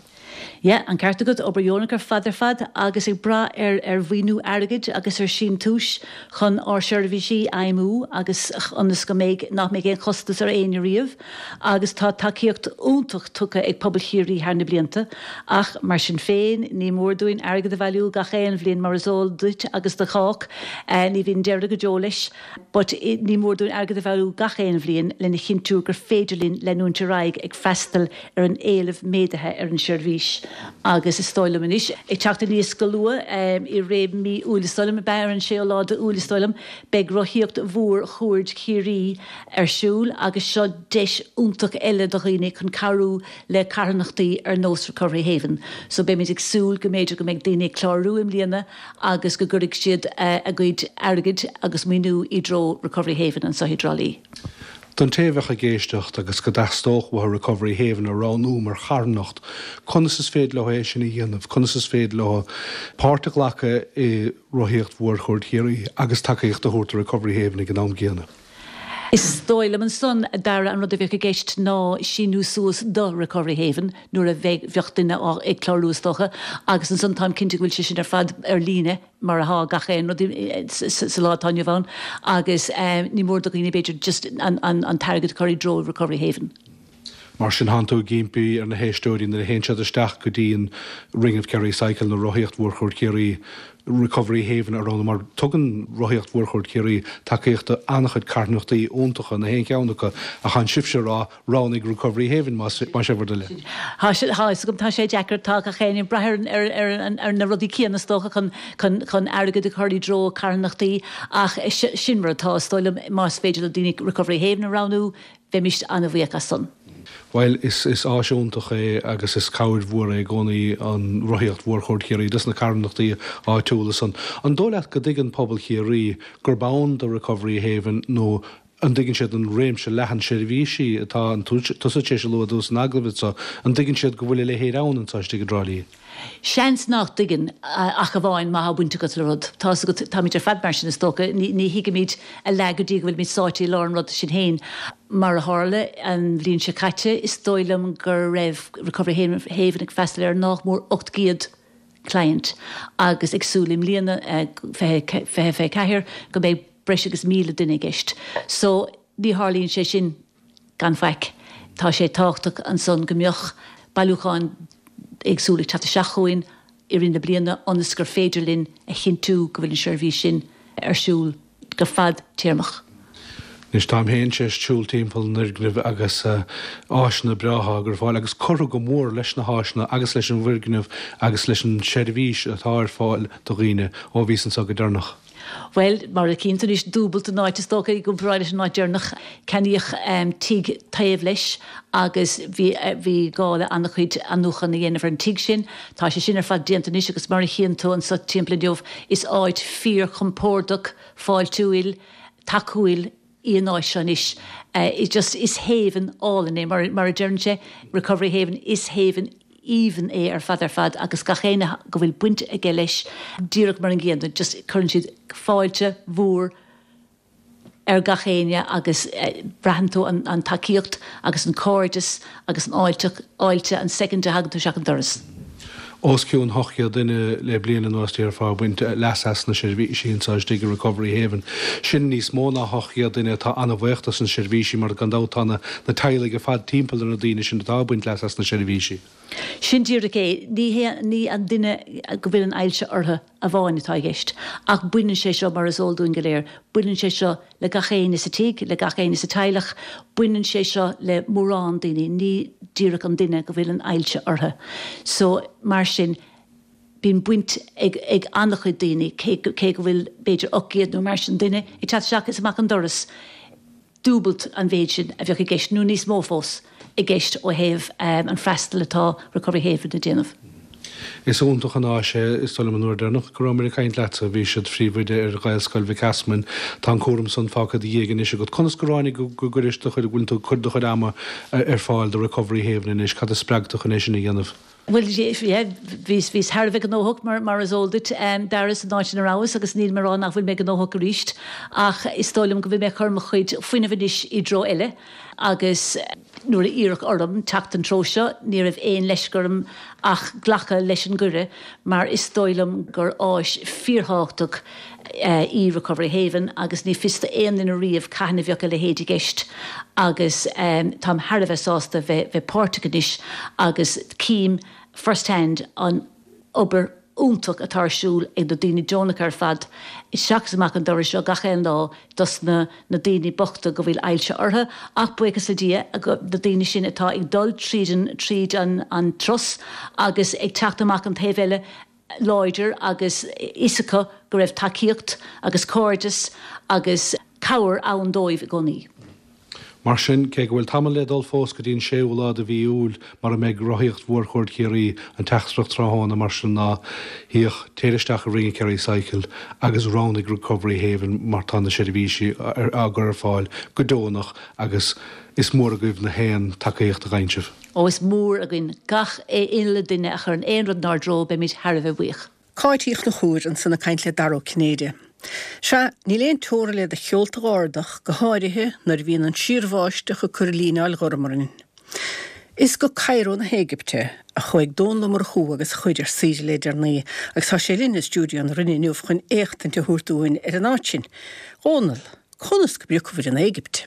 Yeah, an ceart agat, obair dheonach ar fad ar fad agus ag brath ar ar mhaoiniú airgid agus ar síntiúis chun ár seirbhísí a fheidhmiú agus ionas go mbeidh, nach mbeidh aon chostas ar éinne riamh agus tá tacaíocht iontach tugtha ag pobal Chiarraí thar na blianta ach mar sin féin ní mór dúinn airgead a bhailiú gach aon bhliain mar is eol duit agus do chách, ní bhíonn deireadh go deo leis. But ní mór dúinn airgead a bhailiú gach aon bhliain lena chinntiú gur féidir linn leanúint ar aghaidh ag freastal ar an éileamh méadaithe ar an seirbhís agus is dóigh liom anois, ag teacht aníos go luath i rith mí Iúil is dóigh liom, ab ea ar an séú lá de Iúil is dóigh liom, beidh rothaíocht mhór Chuaird Chiarraí ar siúl agus seo deis iontach eile do dhaoine chun cabhrú le carthanachtaí ar nós Recovery Haven. So beimid ag súil go mb'fhéidir go mbeidh daoine ag clárú i mbliana agus go gcuirfidh siad a gcuid airgid agus maoiniú i dtreo Recovery Haven anseo i dTrá Lí. Don té a bheadh ag éisteacht agus go dteastódh uathu Recovery Haven a roghnú mar charthanacht, conas is féidir leo é sin a dhéanamh? Conas is féidir leo páirt a ghlacadh i Rothaíocht Mhór Chuaird Chiarraí agus tacaíocht a thabhairt do Recovery Haven ag an am gcéanna? Is dóigh liom ansan, a Dara, an rud a bheadh i gceist ná síniú suas do Recovery Haven nuair a bheidh, bheadh duine á, ag clárú is dócha, agus ansan táim cinnte go bhfuil sé sin ar fad ar líne mar athá gach aon rud sa lá atá inniu ann agus ní mór do dhaoine b'fhéidir just an, an, an t-airgead a chur i dtreo Recovery Haven. Mar sin thánn tú ag impí ar na héisteoirí nuair a théann siad isteach go dtí an Ring of Kerry Cycle nó Rothaíocht Mhór Chuaird Chiarraí. Recovery Haven a roghnú mar tugann Rothaíocht Mhórchuaird Chiarraí tacaíocht do an-chuid carthanachtaí iontacha, na haon cheann acu, ach tánn sibhse ag rá roghnaigh Recovery Haven más é bhur dtoil é. Tá sé, tá fhios agam, tá sé deacair, tá gach éinne ag brath ar, ar, ar, ar na rudaí céanna is dócha chun, chun, chun airgead a chur i dtreo carthanachtaí ach sin mar atá, is dóigh liom, más féidir le daoine Recovery Haven a roghnú, Bheimis an-bhuíoch as san. Bhuel, is áis iontach é agus is cabhair mhór é i gcónaí an Rothaíocht Mhórchuaird Chiarraí dos na carthanachtaí áitiúla san. An dóigh leat go dtuigeann pobal Chiarraí gurb ann do Recovery Haven nó an dtuigeann siad an réimse leathan seirbhísí atá tusa tar éis a lua domh san agallamh anseo, an dtuigeann siad go bhfuil a leithéid ann anseo istigh i dTrá Lí? Seans nach dtuigeann, ach amháin má thá baint agat le rud. Tá's agat, táimid ar fad mar sin is dócha, ní thuigimid a leath go dtí go bhfuilimid sáite i lár an rud sinn féin. Mar a tharla an bhliain seo caite, is dóigh liom go raibh Recovery Haven ag freastal ar nách mór 800 client agus ag súil i mbliana, 2024, go mbeidh breis agus 1,000 duine i gceist. So, ní tharlaíonn sé sin. Gan faic. Tá sé tábhachtach ansan go mbeadh bailiúcháin éagsúla ag teacht isteach chugainn i rith na bliana ionas gur féidir linn a chinntiú go bhfuil an seirbhís sin ar siúl go fadtéarmach. Anois táim féin tar éis siúl timpeall an fhoirgnimh agus áiseanna breátha á gcur ar fáil agus curtha go mór leis na háiseanna agus leis an bhfoirgneamh agus leis an seirbhís atá ar fáil do dhaoine ó bhíos anseo go deireanach. Bhuel, mar a chíonn tú anois, dúbailt an áit is dócha i gcomparáid leis an áit deireanach. Ceannaíodh tigh taobh leis agus bhí bhí gá le an-chuid athnuachan a dhéanamh ar an tigh sin. Tá sé sin ar fad déanta anois agus mar a chíonn tú anseo timpeall inniu, is áit fíor-chompordach, fáiltiúil, tacúil í an áit seo anois. Just is haven álainn é, mar mar a deireann sé, Recovery Haven, is haven aoibhinn é ar fad ar fad agus gach éinne go bhfuil baint aige leis díreach mar an gcéanna, just cuireann siad fáilte mhór ar gach éinne agus braitheann tú an tacaíocht agus an cairdeas agus an fháilte, fháilte an soicind a thagann tú isteach an doras. Os cionn 800 duine le bliain anuas déarfá ag baint leas as na seirbhísí anseo istigh i Recovery Haven. Sin níos mó ná 800 duine atá an-bhuíoch dos na seirbhísí mar gan dabht tá na teaghlaigh ar fad timpeall ar na daoine sin atá ag baint leas as na seirbhísí. Sin díreach é. Ní hé, ní an duine go bhfuil an ailse orthu amháin atá i gceist ach baineann sé seo, mar is eol dúinn go léir, baineann sé seo le gach éinne sa tigh, le gach éinne sa teaghlach, baineann sé seo le mórán daoine, ní díreach an duine go bhfuil an ailse orthu. So, mar sin, bíonn baint ag ag an-chuid daoine, cé cé go bhfuil b'fhéidir 800 nó mar sin duine ag teacht isteach is amach an doras, dúbailt an mhéid sin a bheadh i gceist, nó níos mó fós, i gceist ó thaobh an freastal atá Recovery Haven ag déanamh. Is iontach an áis é. Is dóigh liom an uair deireanach go rabhamar ag caint leatsa bhís id phríomhoide ar Ghaelscoil Mhic Easmainn. Tá an cúram san fágtha i do dhiaidh anois agat. Conas gur tháinig go gcuiris do chuid, go bhfuil tú ag cur do chuid ama ar fáil do Recovery Haven anois? Cad a spreag tú chun é sin a dhéanamh? Bhuel, yeah, bhíos, bhíos thar a bheith gnóthach mar, mar is eol duit, Dara, san áit ina rabhas agus nílim ag rá nach bhfuil mé gnóthach arís ach is dóigh liom go bhfuil mé ag cur mo chuid fuinnimh anois i dtreo eile agus nuair a iarradh orm teacht an treo seo ní raibh aon leisce orm ach glacadh leis an gcuireadh mar is dóigh liom gur áis fíorthábhachtach í Recovery Haven agus ní fios d'aon duine riamh cathain a bheadh a leithéid i gceist agus táim thar a bheith sásta bheith bheith páirteach anois agus cím first hand an obair iontach atá ar siúl ag na daoine deonacha ar fad isteach is amach an doras seo gach aon lá dos na na daoine bochta go bhfuil ailse orthu ach buíochas le Dia na daoine sin atá ag dul tríd an tríd an an turas agus ag teacht amach an taobh eile láidir agus fhios acu go raibh tacaíocht agus cairdeas agus cabhair ann dóibh i gcónaí. Mar sin, cé go bhfuil tamall le dul fós go dtí an séú lá de mhí Iúil, mar a mbeidh Rothaíocht Mhórchuaird Chiarraí, an teachtaireacht tráthnóna mar sin ná, Féach, téir isteach i Ringe Kerry Cycle agus roghnaigh Recovery Haven mar tá na seirbhísí á gcur ar fáil go deonach agus is mór agaibh na haon tacaíocht a gheibheann sibh. Ó is mór againn gach uile duine a chuireann aon rud inár dtreo, beimid thar a bheith buíoch. Cáit Uí Chonchúir ansan ag caint le Dara Ó Cinnéide. Sea, níl aon teora le do sheolta dh'ardach, go háirithe nuair a bhíonn an síorbháisteach ag cur líneáil ghorm orainn. Is go Cairo na hÉigipte a chuaigh Dónall Ó Murchú agus a chuid ar saoire le deireanaí agus tá sé linn i stiúideo na Rinne inniu chun éachtaint a thabhairt dúinn ar an áit sin. Dhónall, conas go bpriocfabhair an Éigipt?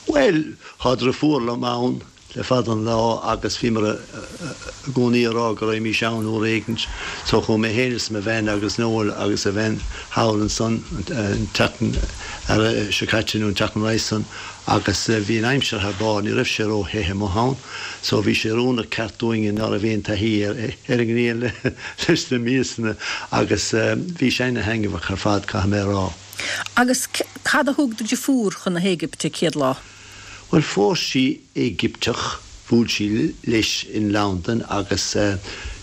Bhuel, thá driofúr liom ann. le fada an lá agus bhíomar i gcónaí a rá go raghaimís ann uair éigint. So chuaigh mé féin is mo bhean agus Noel agus a bhean thall ansan an tseachtain seo caite nó an tseachtain roimhe san agus bhí an aimsir thar barr, ní raibh sé ró the amuigh ann so bhí sé oiriúnach ceart dúinne ná raibh aon taithí ar an ngrian leis na míosanna agus bhí sé ana thaitneamhach ar fad caithfidh mé a rá. Agus cad a thug do dheirfiúr chun na hÉigipte céad lá? Bhuel, phós sí Éigipteach, bhuail sí leis in Londain agus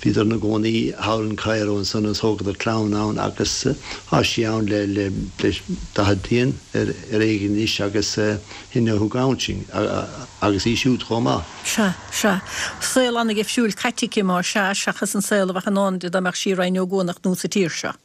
bhíodar ina gcónaí thall in Cairo ansan agus thógadar clann ann agus tá sí ann le le 40 bliain ar éigin anois agus shin a thug ann sinn agus í siúd chomh maith. Sea, sea. Saol ana-dheifriúil caite aici má sea, seachas an saol a bheadh i ndán di dá mbeadh sí i Rinn Ó gCuanach nó sa tír seo.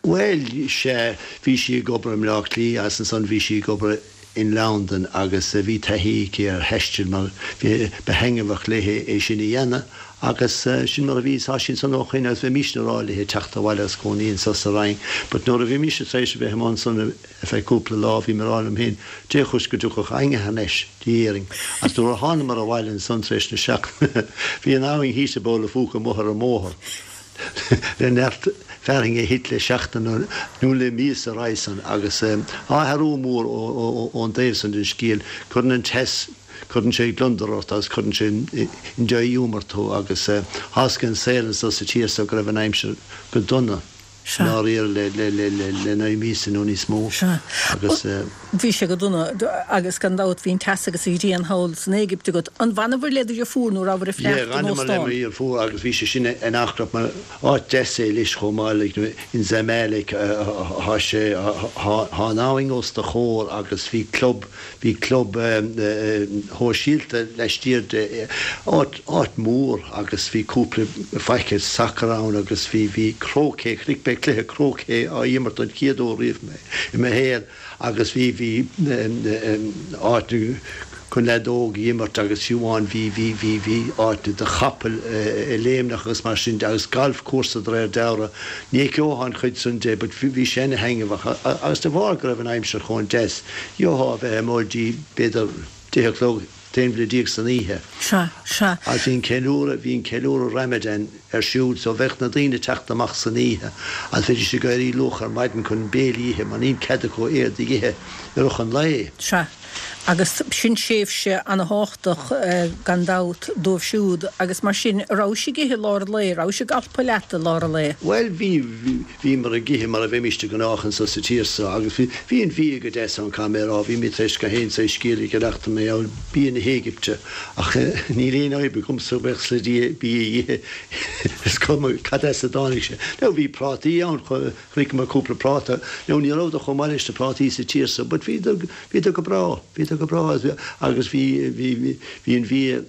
Bhuel, sea, bhí sí ag obair i mBleá Cliath agus ansan bhí sí ag obair in Londain agus bhí taithí aici ar thaisteal mar bhí, ba thaitneamhach léi é sin a dhéanamh agus sin mar a bhí, tá sí ansan ó shoin agus bhímísne a rá léi teacht abhaile agus cónaí anso sa Rinn but nuair a bhí mise tar éis a bheith amuigh ansan ar feadh cúpla lá bhí mé a rá liom féin Dé chúis go dtiocfadh éinne thar n-ais dtí Éirinn agus nuair a thánamar abhaile ansan tar éis na seachtaine bhí an abhainn thíos i bpoll a phúca amuigh ar an mbóthar. le neart fearthainne a thit le seachtain nó le míosa roimhe san agus athrú mór ón dtaobh san den scéal. Cuireann an teas, cuireann sé gliondar ort agus cuireann sé in dea-ghiúmar tú agus tásc an saol anso sa tír so go raibh an aimsir go dona i ndáiríre le 9 míosa nó níos mó agus. Bhí sé go dona agus gan dabht bhí an teas agus an ghrian thall san Éigipt agat. An bhfanabhair le do dheirfiúr nó rabhair ag Yeah, fanacht in d'fhanamar le óstán? mo dheirfiúr agus bhí sé sin in Acrab mar áit deas é leis chomh maith like in Zamalek thá sé thá an abhainn os do chomhair agus bhí club bhí club shóisialta laistiar de áit áit mhór agus bhí cúpla faiche sacair ann agus bhí bhí cróicé chonaic mé cluiche cróicé á imirt don chéad uair riamh i mo shaol. Agus bhí, bhí áit chun leadóg a imirt agus fiú amháin bhí, bhí, bhí, bhí áit do chapaill a léimneach agus mar sin de agus galf cúrsa de réir dealraimh. Ní fheiceofá an chuid san de but bhí sé ana thaitneamhach agus de bharr go raibh an aimsir chomh deas, gheofá a bheith amuigh dtí b'fhéidir 10 a chlog, 11 bhliain san oíche. Sea, sea. Agus bhí an ceiliúradh, bhí an ceiliúradh Ramadan ar siúl so bheadh na daoine ag teacht amach san oíche agus bheidís ag éirí luath ar maidin chun béilí a ithe mar níl cead acu aon rud a ithe i rith an lae. Sea. Agus sin tréimhse ana-thábhachtach gan dabht dóibh siúd agus mar sin, a rabhais ag ithe i lár an lae, rabhais ag alpadh leat i lár an lae? Bhuel bhí, Bhíomar ag ithe mar a bheimís de ghnách anso sa tír so agus bhí, bhí an bia go deas ann, caithfidh mé a rá. Bhí mé tar éis gach aon saghas scéal a cheannacht mar gheall bia na hÉigipte ach níl aon fhadhb agamsa buíochas le Dia bia a ithe, is cuma cad as a dtáinig sé. Now bhí prátaí ann, chonaiceamar cúpla práta, now ní rabhadar chomh maith leis na prátaí sa tír so but bhíodar, bhíodar go breá, bhíodar go breá agus bhí, bhí, bhí an bhia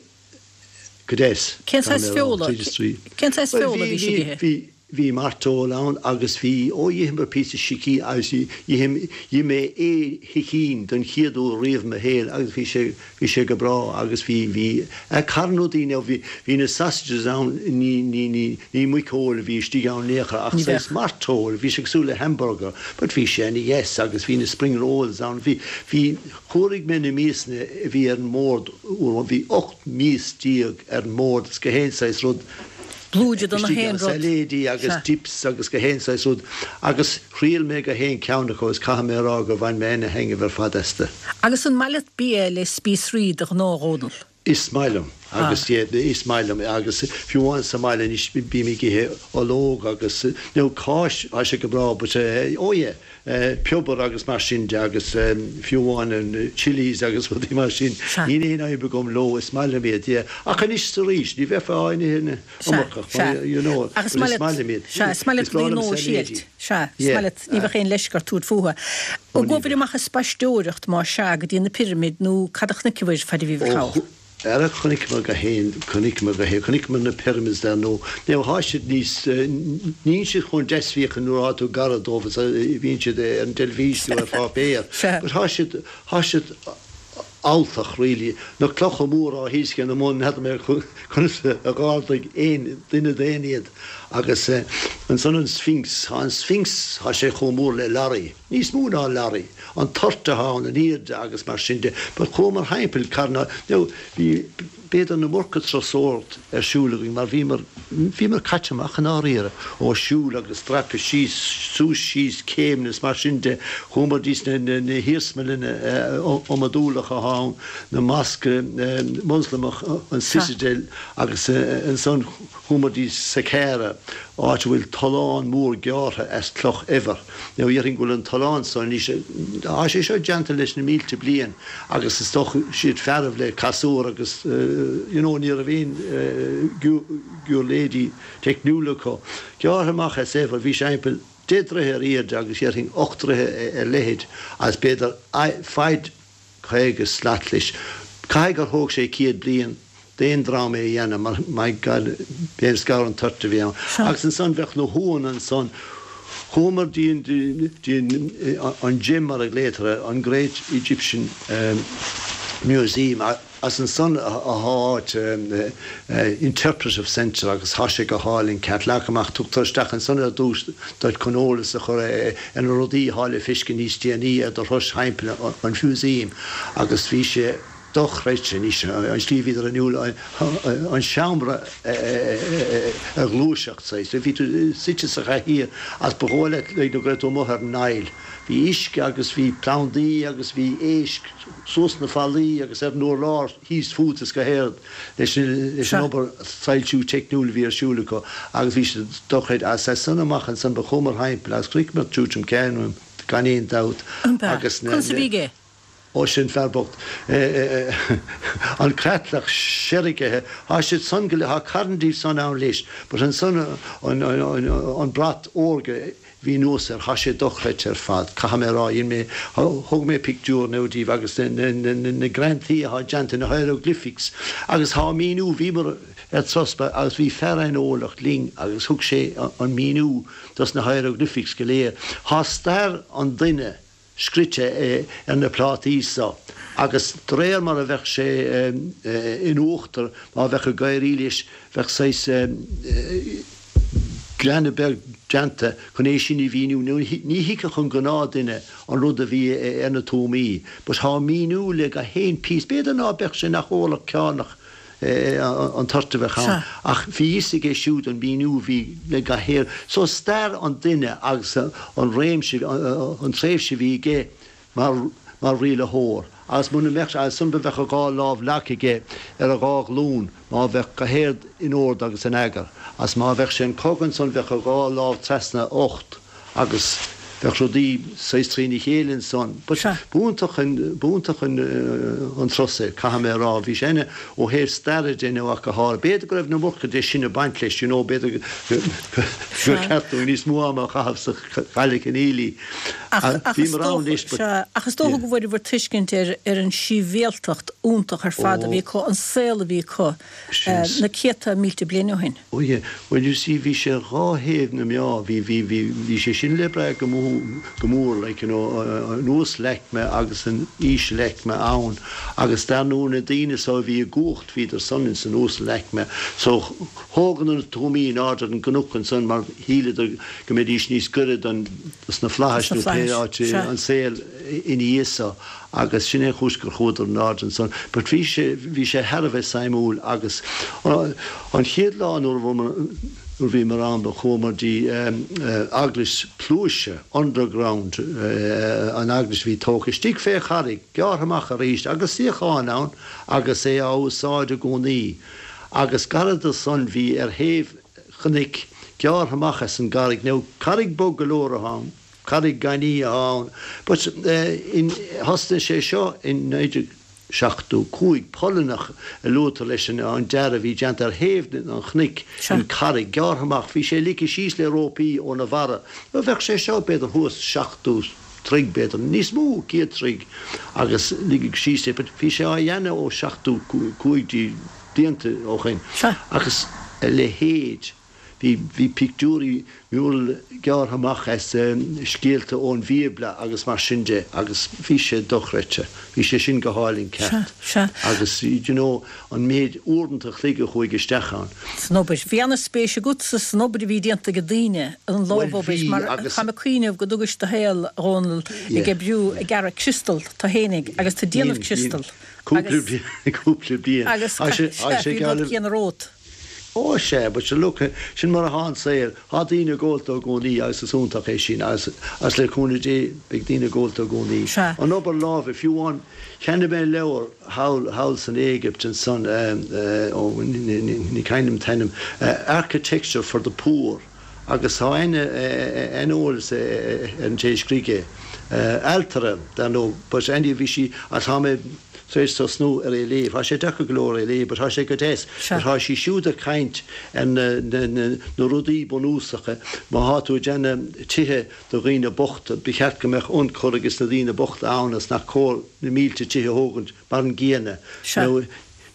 go deas, Cén saghas feola, cén saghas feola a bhí sibh ag ithe? Bhí, bhí mairteoil ann agus bhí, ó d'itheamar píosa sicín agus d'ith, d'ith mé ae shicín don chéad uair riamh i mo shaol agus bhí sé, bhí sé go breá agus bhí, bhí, eh carnóidí now bhí, bhí na sausages ann ní, ní, ní, ní muiceoil a bhí istigh ann in aon chor ach Ní saghas bheadh. mairteoil, bhí sé cosúil le hamburger but bhí sé ana dheas agus bhí na spring rolls ann, bhí, bhí, Chomhair mé na miasanna a bhí ar an mbord uair amháin, bhí 18 mias ar an mbord agus gach aon saghas rud Blúide de nach istigh aon ann, rud. sailéidí agus Sea. dips agus gach aon saghas rud agus thriail mé gach aon ceann acu agus caithfidh mé a rá gur bhain mé ana thaitneamh ar fad astu. Agus an maith leat bia le spíosraí de ghnáth, a Dhónaill? Is maith liom agus yeah is maith liom agus fiú amháin sa mbaile anois bím ag ithe ológ agus nó cáis tá sé go breá but oh yeah piobar agus mar sin de agus fiú amháin an chillies agus rudaí mar sin níl aon fhadhb agam leo is maith liom iad yeah ach anois is arís ní bheifeá á n-ithe an iomarcach mar you know Sea, but is maith liom iad sea, is maith leat is breá rudaí liom nua a sailéidí thriailt. Sea, is yeah maith leat, ní bheadh aon leisce ort tabhairt fúthu. An gcuabhair amach ag spaisteoireacht, más ea, go dtí na pirimid nó cad a chonaiceabhair faid a bhíobhair Ó, thall? ara chonaiceamar gach aon, chonaiceamar gach aon, chonaiceamar na pyramids dar ndóigh. Now thá siad níos, níl siad chomh deas féachaint nuair athá tú gar dóibh is a bhíonn siad ar an dteilifís nó ar pháipéar. Sea. But thá siad, thá siad alltach really. Na clocha móra á thaoscadh ina mbun, n'fheadar mé conas a dh'ardaigh aon duine daonna iad. Agus. Ansan an Sphinx, tá an Sphinx, tá sé chomh mór le lorry, níos mó ná lorry, an toirt atá ann, an airde agus mar sin de. But chuamar thimpeall Carna, now bhí b'fhéidir an iomarca turasóireacht ar siúl againn mar bhíomar, bhíomar caite amach i ndáiríre, ó siúl agus dreapadh síos, suas síos céimeanna is mar sin de. Chuamar dtí na, na hiarsmalanna iomadúlacha atá ann, na mosque Moslamach, an Citadel agus ansan, Chuamar dtí Saqqara, áit a bhfuil tollán mór gearrtha as cloch eibhir. Now dhéarfainn go bhfuil an tollán so anois, tá sé seo déanta leis na mílte bliain agus is dócha siad fearaibh le casúr agus you know ní raibh aon giuirléidí teicniúla acu. Gearrtha amach as eibhear, bhí sé thimpeall deich dtroithe ar airde agus dhéarfainn 8 dtroithe ar leithead agus b'fhéidir faid 50 slat leis. Caithfidh gur thóg sé 100 bliain d'aon dream é a dhéanamh mar my God b'é an scar an toirt a bhí ann. Agus ansan bheadh na huaigheanna ansan. Chuamar dtí an GEM mar a ghlaotar air, an Great Egyptian Museum As ansan atá áit interpretive centre agus thá sé go hálainn ceart leagtha amach. Tugtar isteach ansan ar dtús duit chun eolas a chur ar na rudaí athá le feiscint níos déanaí ar do thuras thimpeall an mhúsaeim agus bhí sé dochreidte anois an tslí a bhíodar in ann an seomra a ghluaiseacht saghas. Bhí tú suite sa chathaoir agus ba dhóigh leat like go raibh tú amuigh ar an Nile. Bhí uisce agus bhí plandaí agus bhí éisc. suas na fallaí agus ar an urlár thíos fút is go hard leis an obair soilsiú teicniúil a bhí ar siúl acu agus bhí siad dochreidte. As san amach ansan ba chuamar thimpeall agus chonaiceamar Tutankhamun gan aon dabht agus na. Conas a bhí aige? Ó sin fear bocht. An creatlach seirgithe, thá siad san go léir, thá carn díobh san ann leis but ansan an brat órga, Bhí anuas air, thá sé dochreidte ar fad, caithfidh mé a rá, dhein mé, thóg mé pictiúr now díobh agus na greantaí athá déanta, na hieroglyphics agus thá míniú, bhíomar ar turas agus bhí fear aineolach linn agus thug sé an míniú dos na hieroglyphics go léir. Thá stair an duine scrite ar na plátaí so agus de réir mar a bheadh sé in uachtar, má bheadh ag éirí leis, bheadh saghas greanadh beag déanta chun é sin a mhíniú. Ní thuigfeadh an gnáthduine an rud a bhí ar na tuamaí but thá míniú le gach aon píosa. B'fhéidir ná beadh sé nach eolach cearnach an toirt a bheadh ann, ach bhí fhios aige siúd an míniú a bhí le gach aon. So stair an duine agus an réimse, an tréimhse a bhí aige mar, mar rialaitheoir. Agus muna mbeadh sé, ansan ba bheadh a dhá lámh leagtha aige ar a dhá ghlúin má bheadh gach aon rud in ord agus in eagar. Agus má bheadh sé an cogadh ansan bheadh a dhá lámh trasna a ucht. agus bheadh rudaí saghas trína chéile ansan. But b'iontach an, b'iontach an, an turas é, caithfidh mé a rá. Bhí sé ina, ó thaobh staire de nó ach go háirithe. B'fhéidir go raibh an iomarca de sin ag baint leis, you know, b'fhéidir gur cheart dúinn níos mó ama a chaitheamh sa Chailleach in Ely. Ach, ach is dócha, sea, ach is dócha go bhfuaireabhair tuiscint ar, ar an síbhialtacht iontach ar fad a bhí acu, an saol a bhí acu na céadta mílte bliain ó shin. Oh yeah, well you see bhí sé dhá thaobh na meá, bhí, bhí, bhí, bhí sé sin le brath go mór, go mór like you know an uasalaicme agus an ísealaicme ann agus dar ndóigh na daoine so a bhí i gcumhacht bhíodar san ins an uasalaicme so thógadar na tuamaí in airde ar an gcnoc ansan mar shíleadar go mbeidís níos gaire don, dos na flaithis nó pé áit an saol ina dhiaidh so. agus sin é an chúis gur chuadar in airde ansan. But bhí sé, bhí sé thar a bheith suimiúil agus an chéad lá nuair a bhíomar, nuair a bhíomar ann ba chuamar dtí eaglais pluaise, underground, an eaglais a bhí tógtha istigh fé charraig, gearrtha amach arís agus suíocháin ann agus é á úsáid i gcónaí agus gairid do san bhí ar thaobh chnoic gearrtha amach as an gcarraig, now carraig bog go leor atá ann. Carraig gainimh atá ann. But in, thosnaigh sé seo in 1975, Polannach a luaitear leis an dearadh a bhí déanta ar thaobh an chnoic, an carraig gearrtha amach, bhí sé ligthe síos le rópaí óna bharra. Bheadh sé seo b'fhéidir thuas 70 troigh b'fhéidir, níos mó, 100 troigh agus ligeadh síos é. But bhí sé á dhéanamh ó 75 blianta ó shoin agus a leithéid. Bhí, bhí pictiúirí mural gearrtha amach as scéalta ón Bhíobla agus mar sin de agus bhí sé dochreidte. Bhí sé sin go hálainn ceart. Sea, sea. Agus you know an méid uaireanta a chloig a chuaigh isteach ann. San obair. Bhí ana-spéis agatsa san obair a bhí déanta ag daoine, an lámhobair, mar táim ag cuimhneamh go dtugais do shaol, a Dhónaill, ag oibriú, ag gearradh criostal, tú fhéinig, agus tú ag déanamh criostal. Cúpla bliain, cúpla bliain. Agus, sea, bhí an rud céanna romhat. Ó sea, but sure look, sin mar athá an saol, thá daoine ag ólta i gcónaí agus is iontach é sin agus agus le cúnamh Dé beidh daoine ag ólta i gcónaí. Sea. An obair láimhe, fiú amháin, cheannaigh mé leabhar thall, thall san Éigipt ansan, eh, ó, ní cuimhin liom an t-ainm, Architecture for the Poor agus tá an-eolas ar an té a scrígh é. Ailtire, dar ndóigh, but anyway bhí sí, agus tá mé, tar éis tosnú ar é a léamh. Tá sé deacair go leor é a léamh but tá sé go deas. But tá sí siúd ag caint ar na, na, na, na rudaí bunúsacha. Má thá tú ag déanamh tithe do dhaoine bochta, ba cheart go mbeadh ionchur ages na daoine bochta ann agus nach cóir na mílte tithe a thógaint mar an gcéanna. Nó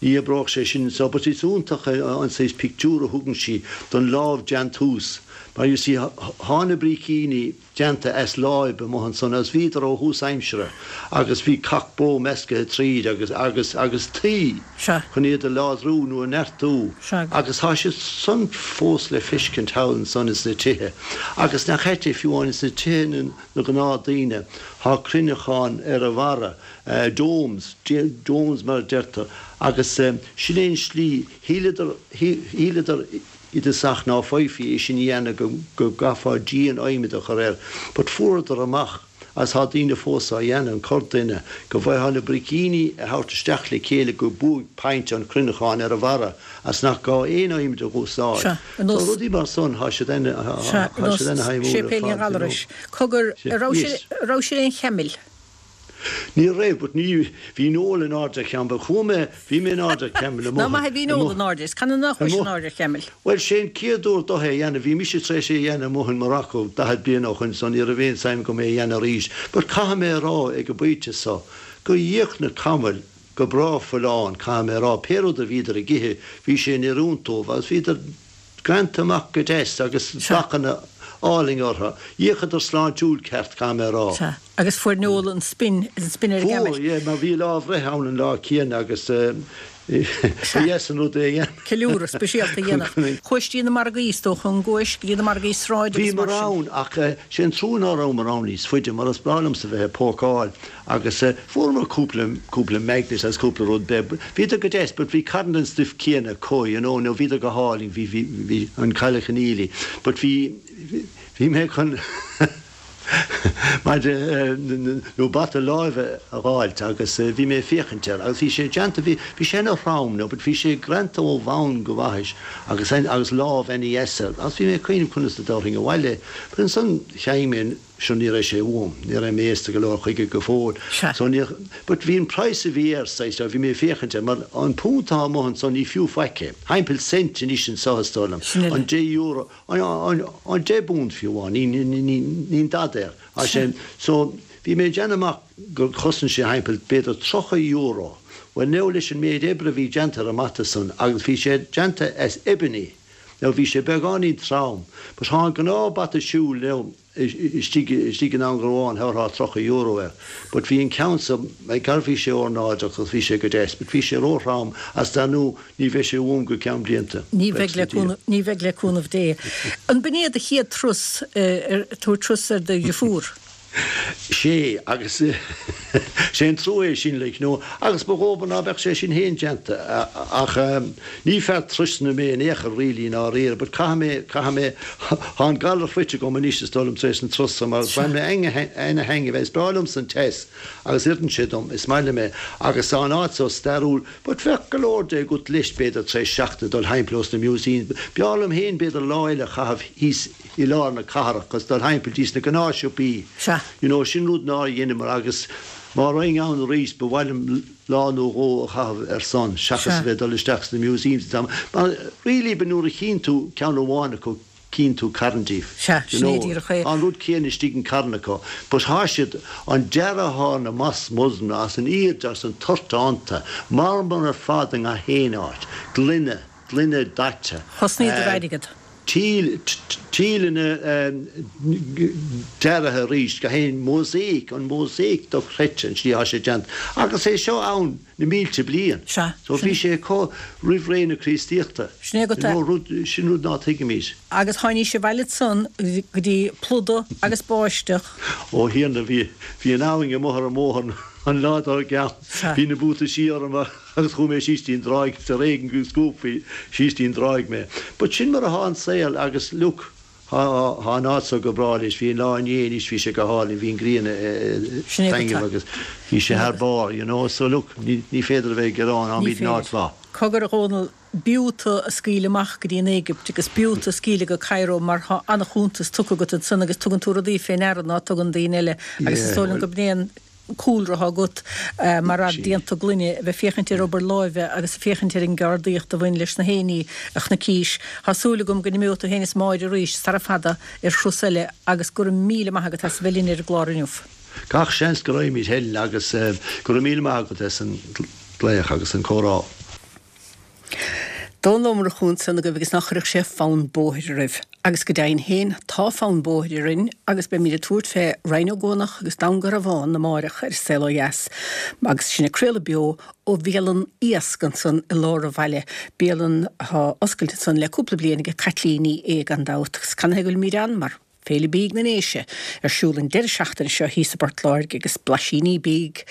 ní oibreodh sé sin so. But is iontach an saghas pictiúr a thugann sí don lámh-deantús. Mar you see, thá na brícíní, déanta as láib amuigh ansan agus bhíodar ó thús aimsire agus bhí cac bó meascaithe tríd agus agus agus tuí Sea. chun iad a láidriú nó a neartú Sea. agus tá siad san fós le feiscint thall ansan ins na tithe agus nach ait é fiú amháin ins na tithe na na gnáth daoine thá cruinneacháin ar a bharra domes domes mar a deirtear agus sin é an slí shíleadar shíleadar i dtosach ná féadfaí é sin a dhéanamh go go gcaithfeá díon adhmaid a chur air but fuaireadar amach agus tá daoine fós á dhéanamh, an corrdhuine, go bhfaightheá na bricíní a thabhairt isteach le chéile go buaicphointe an chruinneacháin ar a bharra agus nach gá aon adhmaid a dh'úsáid. Sea, ar So nós. rudaí mar san, thá siad ana, Sea, ar thá nós siad ana-shuimiúil ar Séipéal fad, you know. Ghallarais. Cogar, Sea, a raibh sé, yes. a raibh sé ar aon chamall? Ní raibh, but ní, bhí Noel in airde ar chamall, but chuaigh mé, bhí mé in airde ar chamall Ná amuigh, maith a bhí Noel amuigh, in airde, is canathaobh nár chuais amuigh. in airde ar chamall? Bhuel, sé an chéad uair domh é a dhéanamh, bhí mise tar éis é a dhéanamh amuigh in Morocco 40 bliain ó shoin so ní raibh aon suim agam é a dhéanamh arís, but caithfidh mé a rá ag an bpointe so, gur dh'íoch na camaill go breá folláin, caithfidh mé a rá, pé rud a bhíodar ag ithe, bhí sé in oiriúint dóibh agus bhíodar greanta amach go deas agus dathanna álainn orthu. D'fhéachadar sláintiúil ceart, caithfidh mé a rá. Sea, agus fuair Noel an spin, an spin ar an Fuair, gcamall. yeah, mar bhí lá a bhreithe ann an lá céanna agus ba dheas an rud é a dhéanamh. Ceiliúradh speisialta a dhéanamh. Chuais dtí na margaí, is dócha, an gcuais go dtí na margaí sráide agus mar Bhíomar sin? ann ach sé an trua ná rabhamar ann níos faide mar is breá liomsa bheith ag pócáil Agus fuaireamar cúpla, cúpla magnet agus cúpla rud beag. Bhíodar go deas but bhí carn den stuif céanna acu, you know, nó bhíodar go hálainn, bhí, bhí, bhí an Cailleach Conneely. But bhí, bhí mé chun maide nó bata láimhe a dh'fháilt agus bhí mé ag féachaint air agus bhí sé déanta, bhí, bhí sé ana throm now but bhí sé greanta ó bhonn go bhaithis agus, agus lámh ana dheas air agus bhí mé ag cuimhneamh conas a dtabharfainn abhaile é. But ansan cheannaigh mé an. Sure ní raibh sé uaim, ní raibh mé aosta go leor chuige go fóill. Sea. So ní, but bhí an praghas a bhí air saghas, bhí mé ag féachaint air, mar an punt atá amuigh anso ní fiú faic é. Thimpeall cent anois anso is dóigh liom. Sin uile. An deich euro, an, an, an deich bpunt fiú amháin, ní, ní, ní, níl dada air. Sea. Sin, so bhí mé ag déanamh amach gur chosain sé thimpeall b'fhéidir 30 euro. Bhuel now leis an méid oibre a bhí déanta ar an mbata san agus bhí sé déanta as ebony, Now bhí sé beagáinín trom, but thá an gnáth bata siúil now istigh istigh in Indreabhán thabharfá €30 air, but bhí an ceann so, gar bhí sé ornáideach agus bhí sé go deas, but bhí sé ró-throm agus dar ndú ní bheidh sé uaim go ceann blianta, Ní bheidh buíochas le le Dia. cúnamh, ní bheidh le cúnamh Dé. An b'in é do chéad turas, ar tabhairt turas ar do dhriofúr? Sé, agus sé an trua é sin, like, no, agus ba dhóbair ná beadh sé sin féin déanta, ach ní fear turasanna mé in aon chor really i ndáiríre, but caithfidh mé, caithfidh mé, thá an galar faighte agam anois is dóigh liom tar éis an turas so mar bhain mé ana-thaitneamh as, is breá liomsa an teas agus oireann sé dom, is maith liom é, agus tá an áit so stairiúil, but bheadh go leor de agat leis b'fhéidir tar éis seachtaine dul thimpeall ós na museums, b'fhearr liom féin b'fhéidir lá eile a chaitheamh thíos i lár na cathrach agus dul thimpeall dtí sna gnáthshiopaí. Sea. You know, sin rud nár dheineamar agus má raghainn ann arís ba mhaith liom lá nó dhó a chaitheamh ar son seachas Sea. a bheith ag dul isteach sna museums an t-am. Mar really ba nuair a chíonn tú ceann amháin acu cíonn tú carn díobh. Sea, You sin é know, díreach é. tá an rud céanna istigh in carn acu but thá siad, an dearadh athá ar na mosques Muslim as an airde agus an toirt iontu, marmar ar fad i ngach aon áit, gloine, gloine daite. Chosnaíodar airgead. Tíleanna deartha arís, gach aon mosaic, an mosaic dochreidte an tslí atá sé déanta. Agus é seo ann na mílte bliain. Sea. So bhí sé acu roimh ré na Críostaíochta. Sin é agat é. Rud, sin rud ná tuigimid. Agus tháinís abhaile ansan go dtí plúdadh agus báisteach. Ó Thiarna, bhí, bhí an abhainn amuigh ar an mbóthar an lá dár gceann. Sea. Bhí na buataisí orm. Agus chuaigh mé síos dtí an dtráigh is ar éigean go scuabfaí síos dtí an dtráigh mé. But sin mar athá an saol agus look, thá, thá an áit so go breá anois, bhí an lá inné anois, bhí sé go hálainn, bhí an ghrian ag Sin é go taitneamh agus bhí sé thar barr, you know, so look, ní, ní féidir a bheith ag gearán, Ní tháimid in féidir. áit mhaith. Cogar a Dhónaill, b'fhiú tú a scaoileadh amach go dtí an Éigipt agus b'fhiú tú a scaoileadh go Cairo mar thá an-chuntas tugtha agat ansan agus tugann tú rudaí fé ndeara ná tugann daoine eile agus is Yeah, dóigh liom well. go b'in é an cúlra atá agat mar fhear déanta gloine, a bheith féachaint ar obair láimhe agus féachaint ar an gceardaíocht a bhain leis na haoiní a chonaicís. Tá súil agam go n-imeoidh tú féin is Máire arís sara fada ar thuras eile agus go raibh míle maith agat as a bheith linn ar an gclár inniu. Gach seans go raghaimid Helen agus go raibh míle maith agat as an glaoch agus an comhrá. Dónall Ó Murchú ansan agaibh agus ná cuirfeadh sé fonn bóthair oraibh. Agus go deimhin féin, tá fonn bóthair orainn agus beimid ag tabhairt fé Rinn Ó gCuanach agus Dún Garbhán amáireach ar Saol Ó Dheas agus sinn ag craoladh beo ó bhialann Iasc ansan i lár an bhaile, bialann atá oscailte ansan le cúpla bliain aige Caitlín Ní Aodha gan dabht. Agus canathaobh go bhfuilimid ann? Mar. Féile Bídh na nDéise ar siúl an deireadh seachtaine seo thíos i bPort Láirge agus blaisíní bídh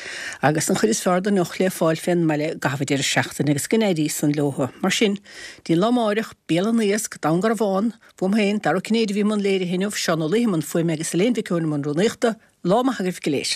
agus an chuid is fearr den deoch le fáil fén mbaile i gcaitheamh an deireadh seachtaine agus go n-éirí san leothu. Mar sin, dtí an lá amáireach, Bialann Iasc, Dún Garbhán, uaim féin, Dara Ó Cinnéide a bhí i mbun léirithe inniu, Seán Ó Laoi i mbun fuaime agus Elaine Mhic Eoin i mbun rúnaíochta, lá maith agaibh go léir.